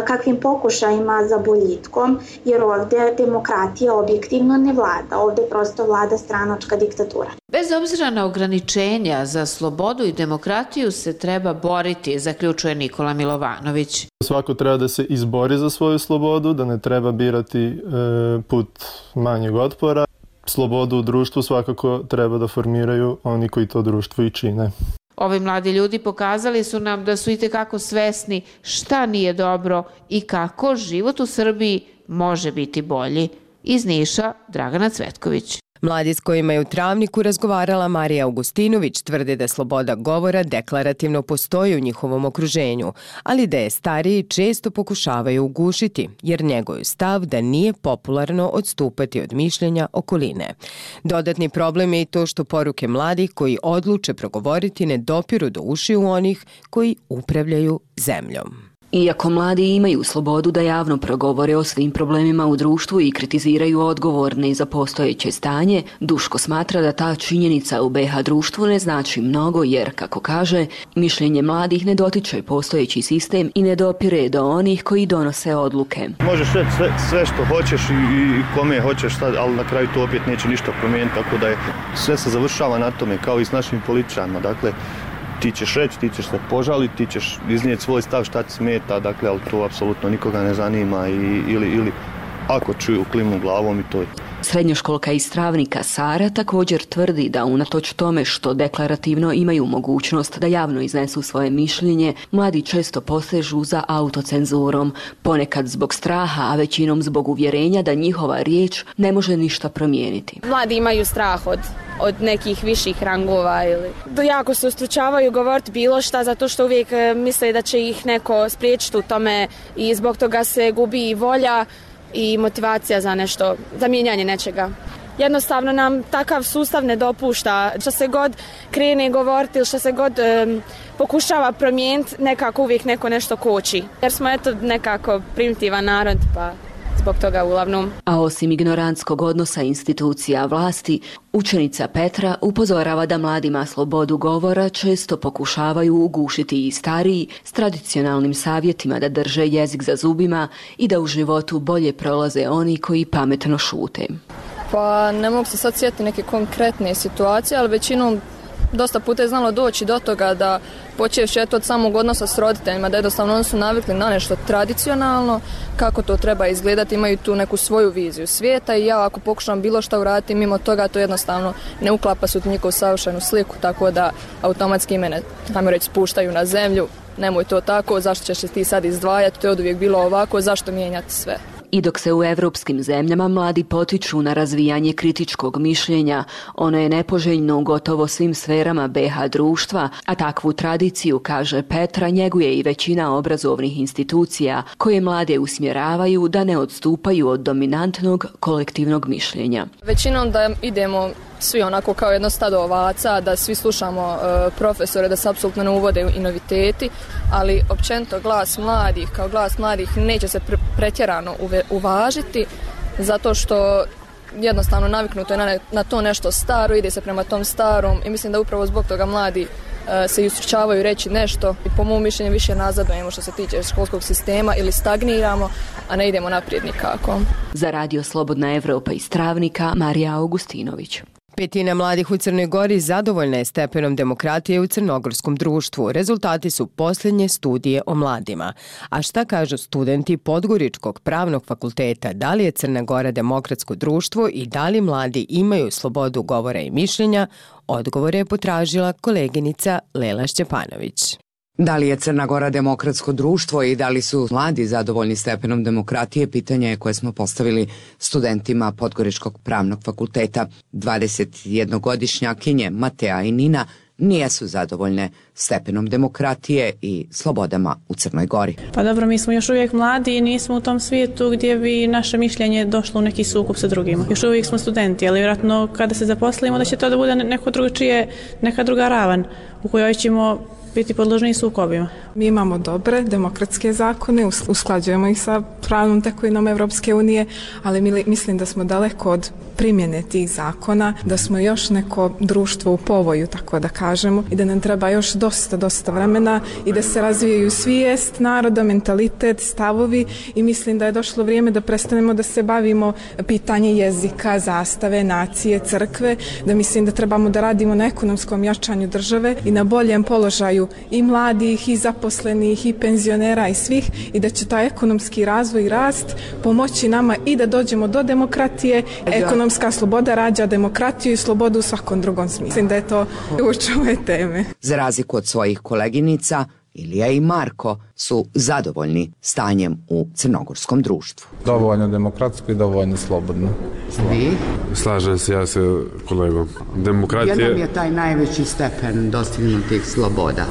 kakvim pokušajima za boljitkom, jer ovdje demokratija objektivno ne vlada, ovdje prosto vlada stranačka diktatura. Bez obzira na ograničenja za slobodu i demokratiju se treba boriti, zaključuje Nikola Milovanović. Svako treba da se izbori za svoju slobodu, da ne treba birati e, put manjeg otpora. Slobodu u društvu svakako treba da formiraju oni koji to društvo i čine. Ovi mladi ljudi pokazali su nam da su itekako svesni šta nije dobro i kako život u Srbiji može biti bolji. Iz Niša, Dragana Cvetković. Mladi s kojima je u Travniku razgovarala Marija Augustinović tvrde da sloboda govora deklarativno postoji u njihovom okruženju, ali da je stariji često pokušavaju ugušiti, jer njegov stav da nije popularno odstupati od mišljenja okoline. Dodatni problem je i to što poruke mladih koji odluče progovoriti ne dopiru do ušiju onih koji upravljaju zemljom. Iako mladi imaju slobodu da javno progovore o svim problemima u društvu i kritiziraju odgovorne za postojeće stanje, Duško smatra da ta činjenica u be ha društvu ne znači mnogo jer, kako kaže, mišljenje mladih ne dotiče postojeći sistem i ne dopire do onih koji donose odluke. Možeš reći sve, sve što hoćeš i, i kome hoćeš, ali na kraju to opet neće ništa promijeniti, tako da je sve se završava na tome, kao i s našim političarima. Dakle, ti ćeš reći, ti ćeš se požaliti, ti ćeš iznijeti svoj stav šta ti smeta, dakle, ali to apsolutno nikoga ne zanima i, ili, ili ako čuju klimnu glavom i to je. Srednjoškolka iz Travnika Sara također tvrdi da unatoč tome što deklarativno imaju mogućnost da javno iznesu svoje mišljenje, mladi često posežu za autocenzurom, ponekad zbog straha, a većinom zbog uvjerenja da njihova riječ ne može ništa promijeniti. Mladi imaju strah od, od nekih viših rangova ili jako se ustručavaju govoriti bilo šta zato što uvijek misle da će ih neko spriječiti u tome i zbog toga se gubi i volja i motivacija za nešto, za mijenjanje nečega. Jednostavno nam takav sustav ne dopušta. Što se god krene govoriti ili što se god um, pokušava promijeniti, nekako uvijek neko nešto koči. Jer smo eto nekako primitivan narod, pa zbog toga uglavnom. A osim ignorantskog odnosa institucija vlasti, učenica Petra upozorava da mladima slobodu govora često pokušavaju ugušiti i stariji s tradicionalnim savjetima da drže jezik za zubima i da u životu bolje prolaze oni koji pametno šute. Pa ne mogu se sad sjetiti neke konkretne situacije, ali većinom dosta puta je znalo doći do toga da počevši od samog odnosa s roditeljima, da jednostavno oni su navikli na nešto tradicionalno, kako to treba izgledati, imaju tu neku svoju viziju svijeta i ja ako pokušam bilo šta uraditi mimo toga, to jednostavno ne uklapa se u njihovu savršenu sliku, tako da automatski mene, ajmo reći, spuštaju na zemlju, nemoj to tako, zašto ćeš se ti sad izdvajati, to je oduvijek bilo ovako, zašto mijenjati sve. I dok se u evropskim zemljama mladi potiču na razvijanje kritičkog mišljenja, ono je nepoželjno u gotovo svim sferama be ha društva, a takvu tradiciju, kaže Petra, njeguje i većina obrazovnih institucija koje mlade usmjeravaju da ne odstupaju od dominantnog kolektivnog mišljenja. Većinom da idemo svi onako kao jedno stado ovaca, da svi slušamo uh, profesore, da se apsolutno ne uvode i noviteti, ali općenito glas mladih, kao glas mladih neće se pre- pretjerano uve- uvažiti, zato što jednostavno naviknuto je na, ne, na to nešto staro, ide se prema tom starom i mislim da upravo zbog toga mladi uh, se ustručavaju reći nešto i po mom mišljenju više nazadujemo što se tiče školskog sistema ili stagniramo, a ne idemo naprijed nikako. Za Radio Slobodna Evropa iz Travnika, Marija Augustinović. Petina mladih u Crnoj Gori zadovoljna je stepenom demokratije u crnogorskom društvu. Rezultati su posljednje studije o mladima. A šta kažu studenti Podgoričkog pravnog fakulteta? Da li je Crna Gora demokratsko društvo i da li mladi imaju slobodu govora i mišljenja? Odgovore je potražila koleginica Lela Šćepanović. Da li je Crna Gora demokratsko društvo i da li su mladi zadovoljni stepenom demokratije, pitanje je koje smo postavili studentima Podgoričkog pravnog fakulteta. dvadesetjednogodišnjakinje Mateja i Nina nijesu zadovoljne stepenom demokratije i slobodama u Crnoj Gori. Pa dobro, mi smo još uvijek mladi i nismo u tom svijetu gdje bi naše mišljenje došlo u neki sukob sa drugima. Još uvijek smo studenti, ali vjerojatno kada se zaposlimo da će to da bude neko drugačije, neka druga ravan u kojoj ćemo biti podložni sukobima. Mi imamo dobre demokratske zakone, usklađujemo ih sa pravnom tekovinom Evropske unije, ali mislim da smo daleko od primjene tih zakona, da smo još neko društvo u povoju, tako da kažemo, i da nam treba još dosta, dosta vremena i da se razvijaju svijest naroda, mentalitet, stavovi, i mislim da je došlo vrijeme da prestanemo da se bavimo pitanje jezika, zastave, nacije, crkve, da mislim da trebamo da radimo na ekonomskom jačanju države i na boljem položaju i mladih, i zaposlenih, i penzionera, i svih, i da će taj ekonomski razvoj i rast pomoći nama i da dođemo do demokratije. Ekonomska sloboda rađa demokratiju i slobodu u svakom drugom smislu. Mislim da je to ključ ove teme. Za razliku od svojih koleginica, Ilija i Marko su zadovoljni stanjem u crnogorskom društvu. Dovoljno demokratsko i dovoljno slobodno. Vi? Slažem se ja se kolegom. Demokratije... Jednom je taj najveći stepen dostignutih sloboda.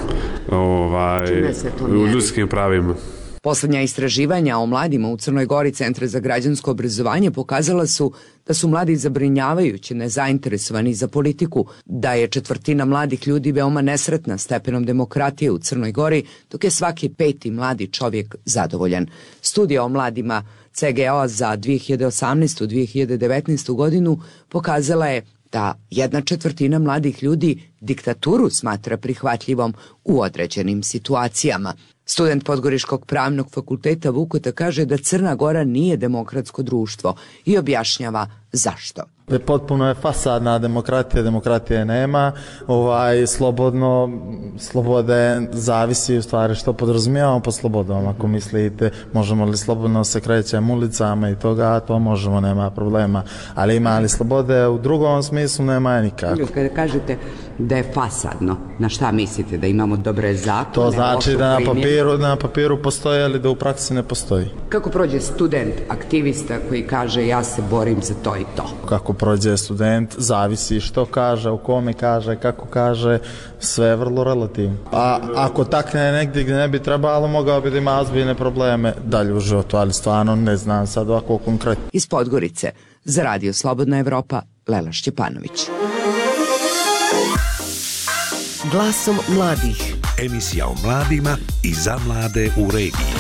Ovaj, u ljudskim pravima. Poslednja istraživanja o mladima u Crnoj Gori Centra za građansko obrazovanje pokazala su da su mladi zabrinjavajuće nezainteresovani za politiku, da je četvrtina mladih ljudi veoma nesretna stepenom demokratije u Crnoj Gori, dok je svaki peti mladi čovjek zadovoljan. Studija o mladima C G O za dvije hiljade osamnaestu i dvije hiljade devetnaestu godinu pokazala je da jedna četvrtina mladih ljudi diktaturu smatra prihvatljivom u određenim situacijama. Student Podgoričkog pravnog fakulteta Vukota kaže da Crna Gora nije demokratsko društvo i objašnjava zašto. Potpuno je fasadna demokratija, demokratije nema, ovaj, slobodno, slobode zavisi u stvari što podrazumijevamo pod slobodom. Ako mislite možemo li slobodno se krećemo ulicama i toga, to možemo, nema problema. Ali ima li slobode u drugom smislu, nema nikako. Kada kažete da je fasadno, na šta mislite? Da imamo dobre zakone? To znači da na papiru, na papiru postoji, ali da u praksi ne postoji. Kako prođe student, aktivista koji kaže ja se borim za to i to? Kako prođe student, zavisi što kaže, u kome kaže, kako kaže, sve je vrlo relativno. A ako takne negdje gdje ne bi trebalo, mogao bi da ima ozbiljne probleme dalje u životu, ali stvarno ne znam sad ovako konkretno. Iz Podgorice, za Radio Slobodna Evropa, Lela Šćepanović. Glasom mladih. Emisija o mladima i za mlade u regiji.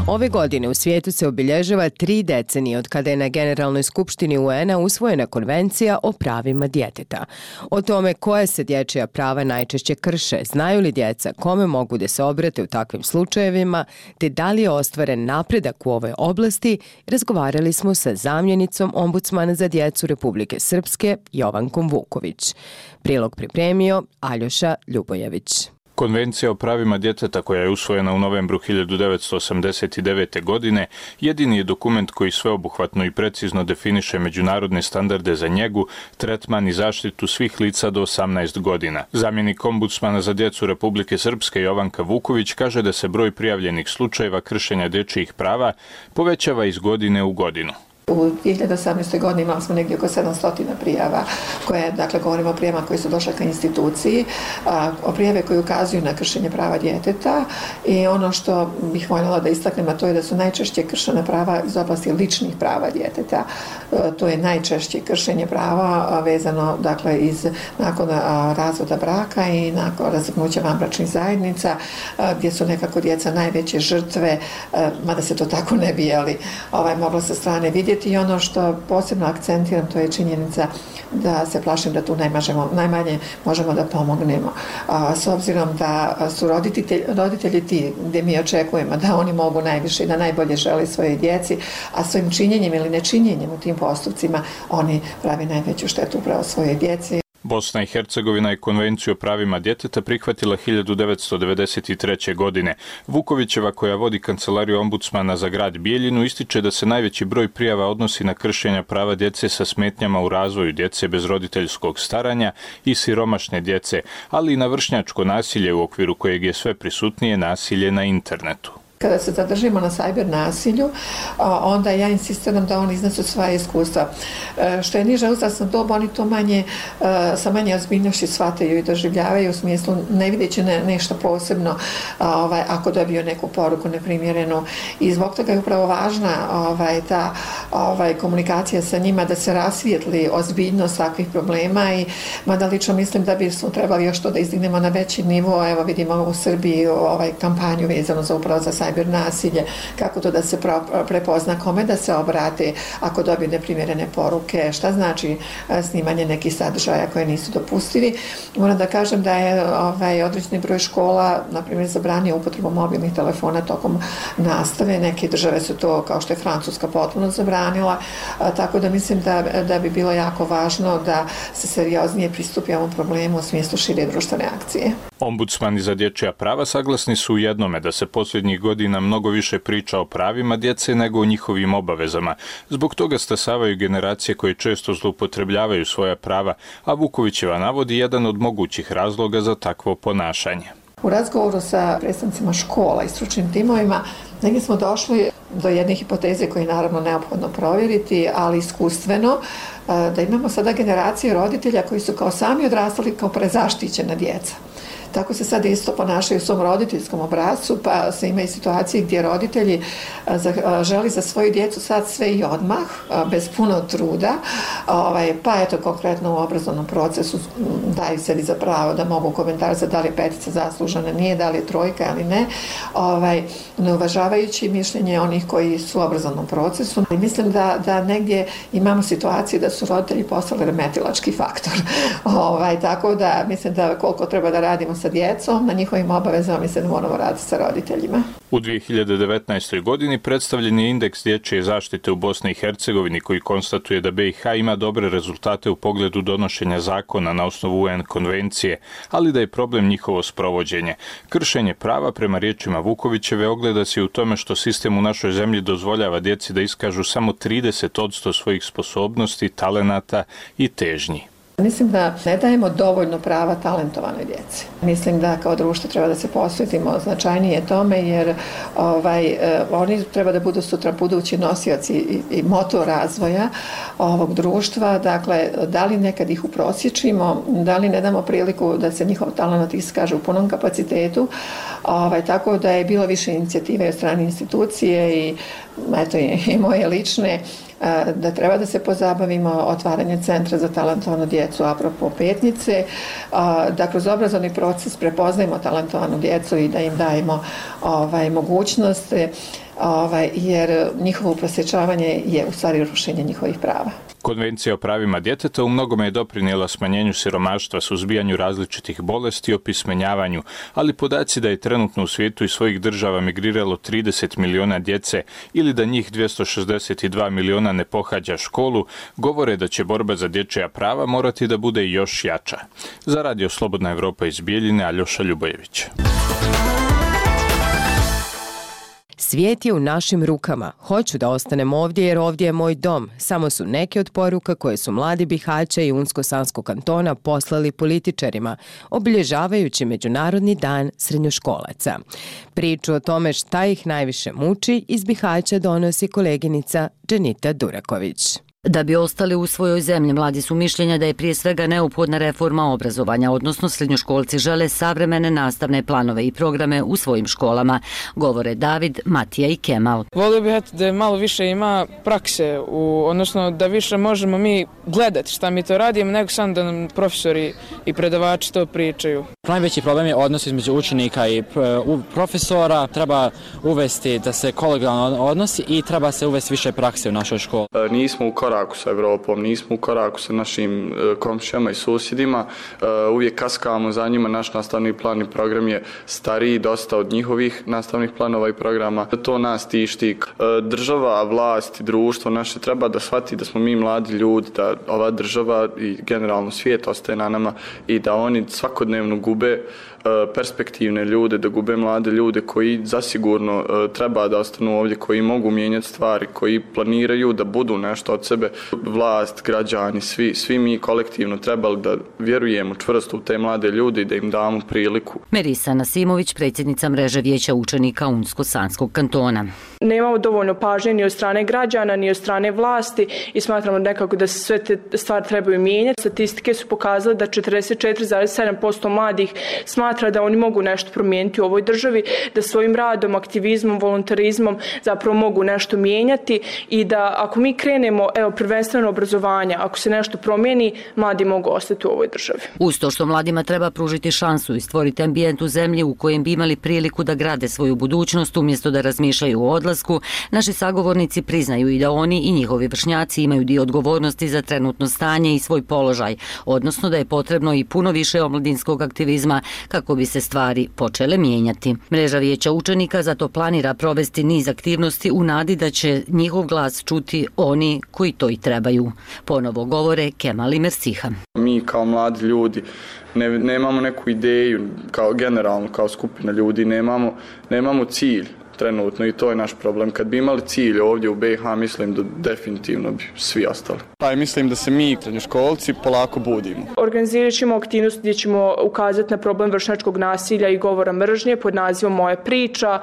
Ove godine u svijetu se obilježava tri decenije od kada je na Generalnoj skupštini U N-a usvojena Konvencija o pravima djeteta. O tome koje se dječja prava najčešće krše, znaju li djeca kome mogu da se obrate u takvim slučajevima, te da li je ostvaren napredak u ovoj oblasti, razgovarali smo sa zamjenicom ombudsmana za djecu Republike Srpske, Jovankom Vuković. Prilog pripremio Aljoša Ljubojević. Konvencija o pravima djeteta koja je usvojena u novembru hiljadu devetsto osamdeset devete. godine jedini je dokument koji sveobuhvatno i precizno definiše međunarodne standarde za njegu, tretman i zaštitu svih lica do osamnaest godina. Zamjenik ombudsmana za djecu Republike Srpske Jovanka Vuković kaže da se broj prijavljenih slučajeva kršenja dječjih prava povećava iz godine u godinu. U dvije hiljade osamnaestoj. godini imali smo negdje oko sedamsto prijava koje, dakle, govorimo o prijavama koji su došle ka instituciji, a, o prijave koji ukazuju na kršenje prava djeteta, i ono što bih voljela da istaknem, a to je da su najčešće kršena prava iz oblasti ličnih prava djeteta. E, to je najčešće kršenje prava a, vezano, dakle, iz nakon a, razvoda braka i nakon razvrgnuća vanbračnih zajednica, a, gdje su nekako djeca najveće žrtve, a, mada se to tako ne bi, ali ovaj, moglo sa strane vidjeti. I ono što posebno akcentiram, to je činjenica da se plašim da tu najmažemo, najmanje možemo da pomognemo. A, s obzirom da su roditelji, roditelji ti gdje mi očekujemo da oni mogu najviše i da najbolje želi svoje djeci, a svojim činjenjem ili nečinjenjem u tim postupcima oni pravi najveću štetu upravo svoje djeci. Bosna i Hercegovina je Konvenciju o pravima djeteta prihvatila hiljadu devetsto devedeset treće. godine. Vukovićeva, koja vodi kancelariju ombudsmana za grad Bijeljinu, ističe da se najveći broj prijava odnosi na kršenja prava djece sa smetnjama u razvoju, djece bez roditeljskog staranja i siromašne djece, ali i na vršnjačko nasilje u okviru kojeg je sve prisutnije nasilje na internetu. Kada se zadržimo na sajber nasilju, onda ja insistiram da oni iznesu svoje iskustva. Što je niža uzrasna doba, oni to manje, sa manje ozbiljnošću shvataju i doživljavaju, u smislu ne videći ne, nešto posebno ovaj, ako dobiju neku poruku neprimjerenu. I zbog toga je upravo važna ovaj, ta ovaj, komunikacija sa njima, da se rasvijetli ozbiljnost takvih problema i mada lično mislim da bismo trebali još to da izdignemo na veći nivo. Evo vidimo u Srbiji ovaj, kampanju vezano za upravo za sajber nasilje, kako to da se prepozna, kome da se obrate ako dobiju neprimjerene poruke, šta znači snimanje nekih sadržaja koje nisu dopustivi. Moram da kažem da je ovaj, određeni broj škola, na primjer, zabranio upotrebu mobilnih telefona tokom nastave. Neke države su to, kao što je Francuska, potpuno zabranila, a, tako da mislim da, da bi bilo jako važno da se serioznije pristupi ovom problemu u smislu šire društvene akcije. Ombudsmani za dječja prava saglasni su u jednome da se posljednjih godina mnogo više priča o pravima djece nego o njihovim obavezama. Zbog toga stasavaju generacije koje često zloupotrebljavaju svoja prava, a Vukovićeva navodi jedan od mogućih razloga za takvo ponašanje. U razgovoru sa predstavnicima škola i stručnim timovima negdje smo došli do jedne hipoteze koje je naravno neophodno provjeriti, ali iskustveno, da imamo sada generacije roditelja koji su kao sami odrastali kao prezaštićena djeca. Tako se sad isto ponašaju u svom roditeljskom obrascu, pa se ima i situacije gdje roditelji želi za svoju djecu sad sve i odmah, bez puno truda, pa eto konkretno u obrazovnom procesu daju sebi za pravo da mogu komentarati da li je petica zaslužena, nije, da li je trojka ili ne, ne uvažavajući mišljenje onih koji su u obrazovnom procesu. I mislim da, da negdje imamo situacije da su roditelji postali remetilački faktor. Ovaj, tako da mislim da koliko treba da radimo sa djecom, na njihovim obavezama mislim da moramo raditi sa roditeljima. U dvije hiljade devetnaestoj. godini predstavljen je indeks dječje zaštite u Bosni i Hercegovini koji konstatuje da be i ha ima dobre rezultate u pogledu donošenja zakona na osnovu u en konvencije, ali da je problem njihovo sprovođenje. Kršenje prava, prema riječima Vukovićeve, ogleda se u tome što sistem u našoj zemlji dozvoljava djeci da iskažu samo trideset posto svojih sposobnosti, talenata i težnji. Mislim da ne dajemo dovoljno prava talentovanoj djeci. Mislim da kao društvo treba da se posvetimo značajnije tome, jer ovaj, oni treba da budu sutra budući nosioci i, i motor razvoja ovog društva. Dakle, da li nekad ih uprosječimo, da li ne damo priliku da se njihov talent iskaže u punom kapacitetu, ovaj, tako da je bilo više inicijative od strane institucije i, eto, i, i moje lične, da treba da se pozabavimo otvaranje centra za talentovanu djecu apropo Petnice, da kroz obrazovni proces prepoznajemo talentovanu djecu i da im dajemo ovaj, mogućnost, ovaj, jer njihovo uprosječavanje je u stvari rušenje njihovih prava. Konvencija o pravima djeteta u mnogome je doprinijela smanjenju siromaštva, suzbijanju različitih bolesti i opismenjavanju, ali podaci da je trenutno u svijetu iz svojih država migriralo trideset miliona djece ili da njih dvjesto šezdeset dva miliona ne pohađa školu, govore da će borba za dječja prava morati da bude još jača. Za Radio Slobodna Evropa iz Bijeljine, Aljoša Ljubojević. Svijet je u našim rukama. Hoću da ostanem ovdje jer ovdje je moj dom. Samo su neke od poruka koje su mladi Bihaća i Unsko-Sanskog kantona poslali političarima, obilježavajući Međunarodni dan srednjoškolaca. Priču o tome šta ih najviše muči iz Bihaća donosi koleginica Dženita Duraković. Da bi ostali u svojoj zemlji, mladi su mišljenja da je prije svega neophodna reforma obrazovanja, odnosno srednjoškolci žele savremene nastavne planove i programe u svojim školama, govore David, Matija i Kemal. Volio bih da malo više ima prakse, u, odnosno da više možemo mi gledati šta mi to radimo, nego sam da nam profesori i predavači to pričaju. Najveći problem je odnos između učenika i profesora, treba uvesti da se kolegijalno odnosi i treba se uvesti više prakse u našoj školi. Nismo u koraku sa Evropom, nismo u koraku sa našim komšijama i susjedima, uvijek kaskamo za njima, naš nastavni plan i program je stariji dosta od njihovih nastavnih planova i programa. To nas tišti. Država, vlast i društvo naše treba da shvati da smo mi mladi ljudi, da ova država i generalno svijet ostaje na nama i da oni svakodnevno gube perspektivne ljude, da gube mlade ljude koji zasigurno treba da ostanu ovdje, koji mogu mijenjati stvari, koji planiraju da budu nešto od sebe. Vlast, građani, svi, svi mi kolektivno trebali da vjerujemo čvrsto u te mlade ljude i da im damo priliku. Merisa Nasimović, predsjednica mreže vijeća učenika Unsko-Sanskog kantona. Nemamo dovoljno pažnje ni od strane građana, ni od strane vlasti i smatramo nekako da se sve te stvari trebaju mijenjati. Statistike su pokazale da četrdeset četiri zarez sedam posto mladih smatra da oni mogu nešto promijeniti u ovoj državi, da svojim radom, aktivizmom, volontarizmom zapravo mogu nešto mijenjati i da ako mi krenemo, evo, prvenstveno obrazovanja, ako se nešto promijeni, mladi mogu ostati u ovoj državi. Uz to što mladima treba pružiti šansu i stvoriti ambijent u zemlji u kojem bi imali priliku da grade svoju budućnost umjesto da razmišljaju o odlasku, naši sagovornici priznaju i da oni i njihovi vršnjaci imaju dio odgovornosti za trenutno stanje i svoj položaj, odnosno da je potrebno i puno više omladinskog aktivizma kako bi se stvari počele mijenjati. Mreža vijeća učenika zato planira provesti niz aktivnosti u nadi da će njihov glas čuti oni koji to i trebaju. Ponovo govore Kemal i Mersiha. Mi kao mladi ljudi ne, nemamo neku ideju, kao generalno, kao skupina ljudi, nemamo, nemamo cilj trenutno i to je naš problem. Kad bi imali cilj ovdje u B i H, mislim da definitivno bi svi ostali. Pa mislim da se mi, srednjoškolci, polako budimo. Organizirat ćemo aktivnost gdje ćemo ukazati na problem vršnjačkog nasilja i govora mržnje pod nazivom Moja priča,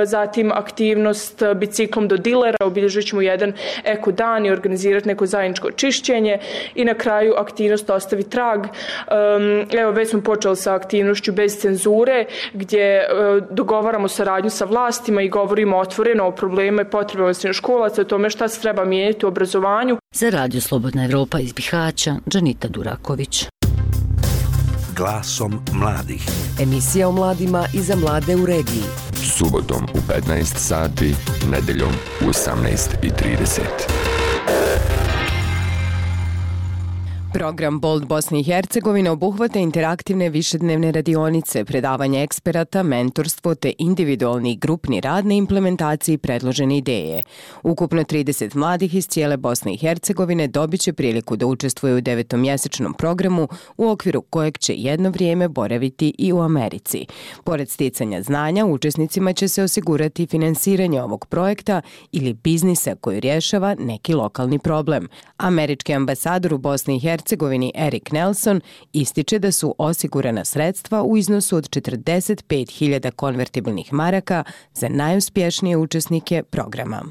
zatim aktivnost biciklom do dilera, obilježit ćemo jedan eko dan i organizirati neko zajedničko čišćenje i na kraju aktivnost Ostavi trag. Evo, već smo počeli sa aktivnošću bez cenzure gdje dogovaramo saradnju sa vlasti i govorimo otvoreno o problemu i potrebama srednjoškolaca, o tome šta se treba mijenjati u obrazovanju. Za Radio Slobodna Evropa iz Bihaća, Džanita Duraković. Glasom mladih. Emisija o mladima i za mlade u regiji. Subotom u petnaest sati, nedeljom u osamnaest i trideset. Program Bold Bosne i Hercegovine obuhvata interaktivne višednevne radionice, predavanje eksperata, mentorstvo te individualni i grupni rad na implementaciji predložene ideje. Ukupno trideset mladih iz cijele Bosne i Hercegovine dobit će priliku da učestvuju u devetomjesečnom programu u okviru kojeg će jedno vrijeme boraviti i u Americi. Pored sticanja znanja, učesnicima će se osigurati finansiranje ovog projekta ili biznisa koji rješava neki lokalni problem. Američki ambasador u Bosni i Hercegovini Hercegovini Erik Nelson ističe da su osigurana sredstva u iznosu od četrdeset pet hiljada konvertibilnih maraka za najuspješnije učesnike programa.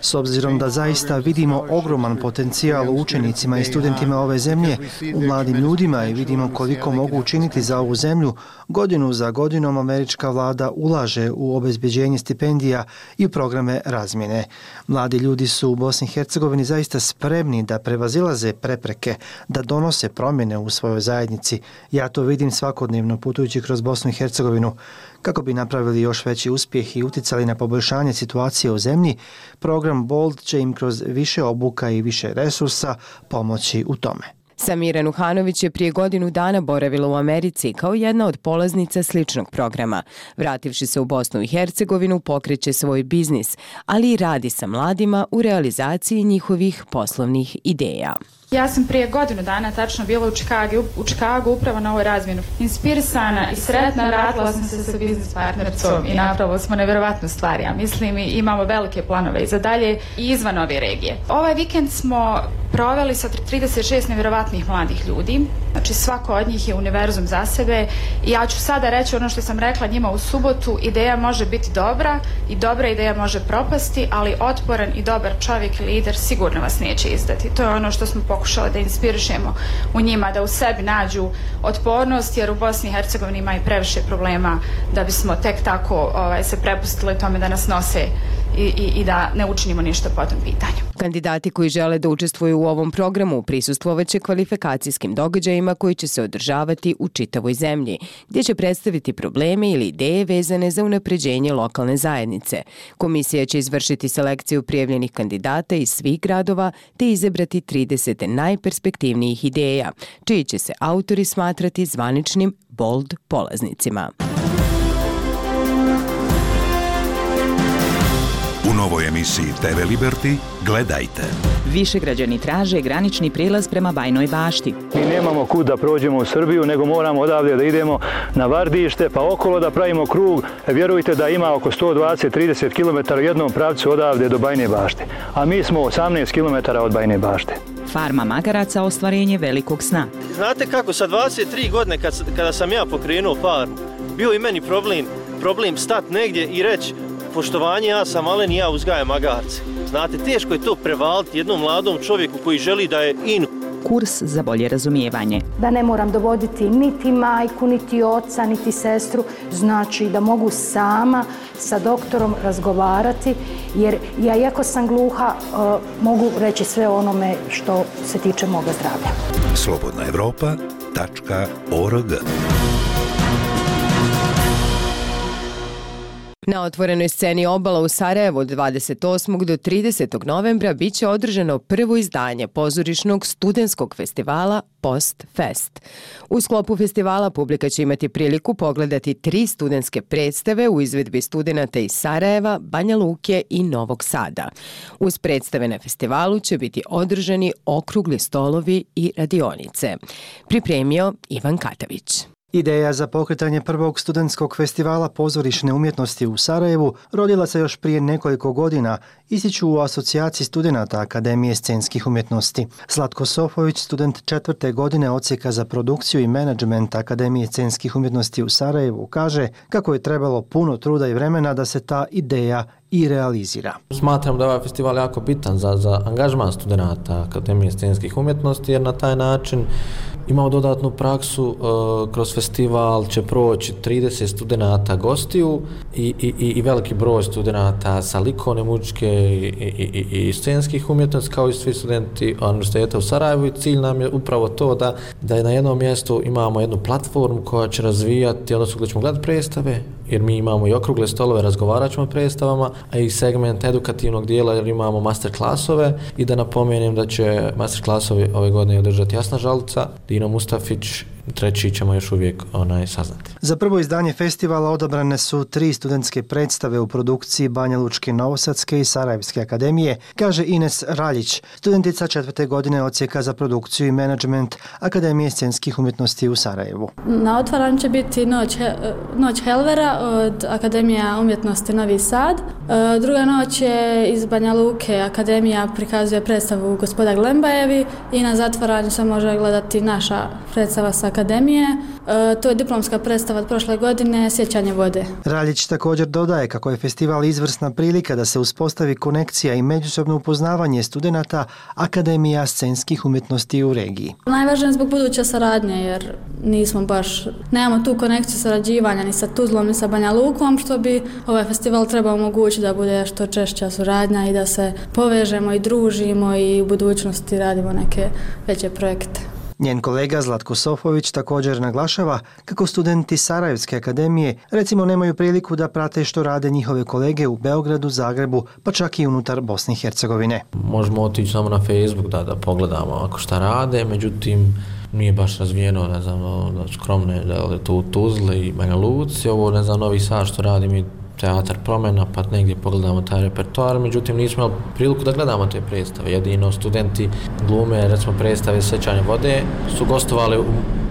S obzirom da zaista vidimo ogroman potencijal u učenicima i studentima ove zemlje, u mladim ljudima i vidimo koliko mogu učiniti za ovu zemlju, godinu za godinom američka vlada ulaže u obezbeđenje stipendija i u programe razmjene. Mladi ljudi su u Bosni i Hercegovini zaista spremni da prevazilaze prepreke, da donose promjene u svojoj zajednici. Ja to vidim svakodnevno putujući kroz Bosnu i Hercegovinu. Kako bi napravili još veći uspjeh i uticali na poboljšanje situacije u zemlji, program Bold će im kroz više obuka i više resursa pomoći u tome. Samira Nuhanović je prije godinu dana boravila u Americi kao jedna od polaznica sličnog programa. Vrativši se u Bosnu i Hercegovinu, pokreće svoj biznis, ali i radi sa mladima u realizaciji njihovih poslovnih ideja. Ja sam prije godinu dana tačno bila u Čikagu, u Čikagu upravo na ovoj razmjenu. Inspirisana i sretna radila sam se sa biznis partnercom i napravili smo nevjerovatnu stvar, ja mislim, i imamo velike planove i za dalje i izvan ove regije. Ovaj vikend smo proveli sa trideset šest nevjerovatnih mladih ljudi, znači svako od njih je univerzum za sebe i ja ću sada reći ono što sam rekla njima u subotu, ideja može biti dobra i dobra ideja može propasti, ali otporan i dobar čovjek i lider sigurno vas neće izdati. To je ono što smo pokušali da inspirišemo u njima, da u sebi nađu otpornost, jer u Bosni i Hercegovini ima i previše problema da bismo tek tako ovaj, se prepustili tome da nas nose i, i, i da ne učinimo ništa po tom pitanju. Kandidati koji žele da učestvuju u ovom programu prisustvovat će kvalifikacijskim događajima koji će se održavati u čitavoj zemlji, gdje će predstaviti probleme ili ideje vezane za unapređenje lokalne zajednice. Komisija će izvršiti selekciju prijavljenih kandidata iz svih gradova te izabrati trideset najperspektivnijih ideja, čiji će se autori smatrati zvaničnim Bold polaznicima. U novoj emisiji te ve Liberty gledajte. Višegrađani traže granični prijelaz prema Bajnoj Bašti. Mi nemamo kud da prođemo u Srbiju, nego moramo odavde da idemo na Vardište, pa okolo da pravimo krug. Vjerujte da ima oko sto dvadeset do trideset kilometara u jednom pravcu odavde do Bajne Bašte. A mi smo osamnaest kilometara od Bajne Bašte. Farma magaraca ostvarenje velikog sna. Znate kako, sa dvadeset tri godine kad, kada sam ja pokrenuo farmu, bio i meni problem, problem stat negdje i reći poštovanje, ja sam malen i ja uzgajam magarce. Znate, teško je to prevaliti jednom mladom čovjeku koji želi da je in. Kurs za bolje razumijevanje. Da ne moram dovoditi niti majku, niti oca, niti sestru, znači da mogu sama sa doktorom razgovarati, jer ja, iako sam gluha, uh, mogu reći sve onome što se tiče moga zdravlja. slobodna evropa tačka org. Na otvorenoj sceni Obala u Sarajevu od dvadeset osmog do tridesetog novembra biće održano prvo izdanje pozorišnog studentskog festivala Post Fest. U sklopu festivala publika će imati priliku pogledati tri studentske predstave u izvedbi studenata iz Sarajeva, Banja Luke i Novog Sada. Uz predstave na festivalu će biti održani okrugli stolovi i radionice. Pripremio Ivan Katavić. Ideja za pokretanje prvog studentskog festivala pozorišne umjetnosti u Sarajevu rodila se još prije nekoliko godina, ističu u asocijaciji studenata Akademije scenskih umjetnosti. Zlatko Sofović, student četvrte godine odsjeka za produkciju i menadžment Akademije scenskih umjetnosti u Sarajevu, kaže kako je trebalo puno truda i vremena da se ta ideja i realizira. Smatram da je ovaj festival jako bitan za, za angažman studenata Akademije scenskih umjetnosti, jer na taj način imamo dodatnu praksu. E, kroz festival će proći trideset studenata gostiju i, i, i veliki broj studenata sa likovne, muzičke i, i, i, i scenskih umjetnosti, kao i svi studenti Univerziteta u Sarajevu, i cilj nam je upravo to da, da na jednom mjestu imamo jednu platformu koja će razvijati, odnosno gdje ćemo gledati predstave, jer mi imamo i okrugle stolove, razgovarat ćemo o predstavama, a i segment edukativnog dijela, jer imamo master klasove. I da napomenem da će master klasovi ove godine održati Jasna Žalica, Dino Mustafić, treći ćemo još uvijek onaj saznati. Za prvo izdanje festivala odabrane su tri studentske predstave u produkciji Banja Lučke, Novosadske i Sarajevske akademije, kaže Ines Raljić, studentica četvrte godine odsjeka za produkciju i menadžment Akademije scenskih umjetnosti u Sarajevu. Na otvaranju će biti Noć, Noć Helvera od Akademije umjetnosti Novi Sad. Druga noć je iz Banja Luke, Akademija prikazuje predstavu Gospoda Glembajevi, i na zatvaranju se može gledati naša predstava sa Akademije. E, to je diplomska predstava od prošle godine, Sjećanje vode. Raljić također dodaje kako je festival izvrsna prilika da se uspostavi konekcija i međusobno upoznavanje studenata Akademija scenskih umjetnosti u regiji. Najvažnije je zbog buduće saradnje, jer nismo baš, nemamo tu konekciju sarađivanja ni sa Tuzlom ni sa Banja Lukom, što bi ovaj festival trebao omogućiti da bude što češća suradnja i da se povežemo i družimo i u budućnosti radimo neke veće projekte. Njen kolega Zlatko Sofović također naglašava kako studenti Sarajevske akademije recimo nemaju priliku da prate što rade njihove kolege u Beogradu, Zagrebu, pa čak i unutar Bosne i Hercegovine. Možemo otići samo na Facebook da, da pogledamo ako šta rade, međutim nije baš razvijeno, ne znam, da skromne, da je to u Tuzli i Banja Luci, ovo ne znam, Novi Sad što radi mi Teatar Promjena, pa negdje pogledamo taj repertoar, međutim nismo imali priliku da gledamo te predstave. Jedino studenti glume, recimo predstave Sjećanje vode, su gostovali u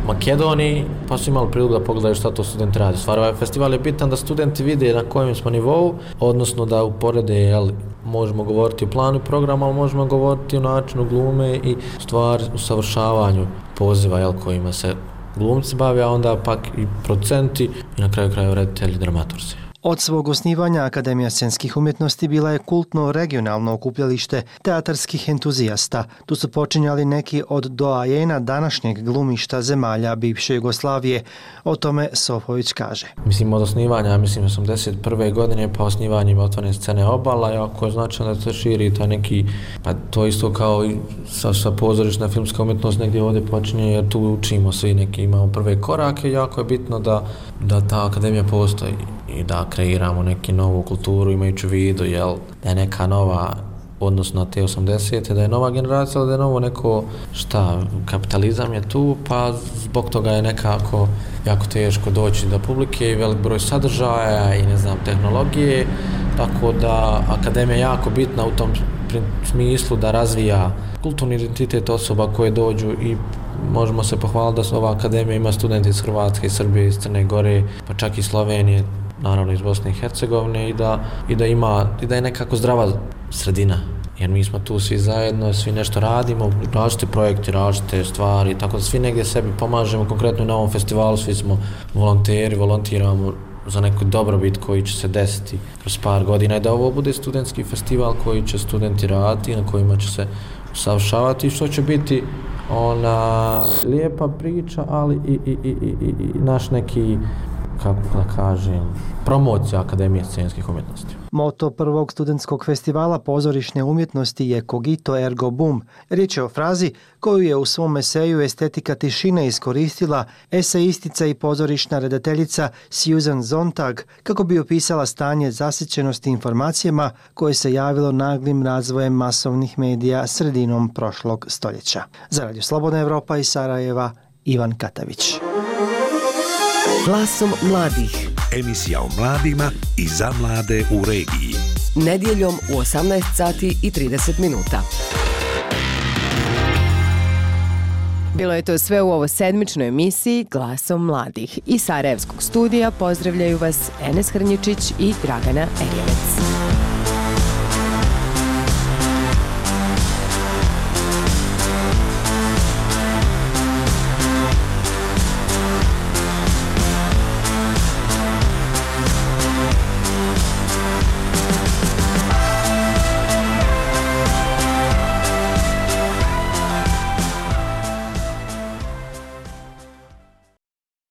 Makedoniji, pa su imali priliku da pogledaju šta to studenti radi. Stvar, ovaj festival je bitan da studenti vide na kojem smo nivou, odnosno da uporede, jel, možemo govoriti o planu i programu, ali možemo govoriti o načinu glume i stvari u savršavanju poziva, jel, kojima se glumci bave, a onda pak i producenti i na kraju kraju reditelji, dramaturzi. Od svog osnivanja Akademija scenskih umjetnosti bila je kultno regionalno okupljalište teatarskih entuzijasta. Tu su počinjali neki od doajena današnjeg glumišta zemalja bivše Jugoslavije. O tome Sofović kaže. Mislim, od osnivanja, mislim, osamdeset prve godine, pa osnivanjem otvorene scene Obala, jako je značajno da se širi taj neki, pa to isto kao i sa, sa pozorišna filmska umjetnost negdje ovdje počinje, jer tu učimo svi neki, imamo prve korake, jako je bitno da, da ta akademija postoji i da kreiramo neku novu kulturu imajući u vidu, jel, da je neka nova odnosno na te osamdesete, da je nova generacija, da je novo neko, šta, kapitalizam je tu, pa zbog toga je nekako jako teško doći do publike i velik broj sadržaja i ne znam, tehnologije, tako da akademija je jako bitna u tom smislu da razvija kulturni identitet osoba koje dođu i možemo se pohvaliti da ova akademija ima studente iz Hrvatske, iz Srbije, iz Crne Gore, pa čak i Slovenije, naravno iz Bosne i Hercegovine i da, i da ima, i da je nekako zdrava sredina. Jer mi smo tu svi zajedno, svi nešto radimo, različite projekte, različite stvari, tako da svi negdje sebi pomažemo, konkretno na ovom festivalu svi smo volonteri, volontiramo za neku dobrobit koji će se desiti kroz par godina i da ovo bude studentski festival koji će studenti raditi, na kojima će se usavršavati i što će biti ona lijepa priča, ali i, i, i, i, i naš neki, kako da kažem, promocija Akademije scenskih umjetnosti. Moto prvog studentskog festivala pozorišne umjetnosti je Cogito ergo bum. Riječ je o frazi koju je u svom eseju Estetika tišine iskoristila esejistica i pozorišna redateljica Susan Sontag kako bi opisala stanje zasićenosti informacijama koje se javilo naglim razvojem masovnih medija sredinom prošlog stoljeća. Za Radio Slobodna Evropa iz Sarajeva, Ivan Katavić. Glasom mladih. Emisija o mladima i za mlade u regiji. Nedjeljom u osamnaest sati i trideset minuta. Bilo je to sve u ovo sedmičnoj emisiji Glasom mladih. Iz Sarajevskog studija pozdravljaju vas Enes Hrnjičić i Dragana Erjevec.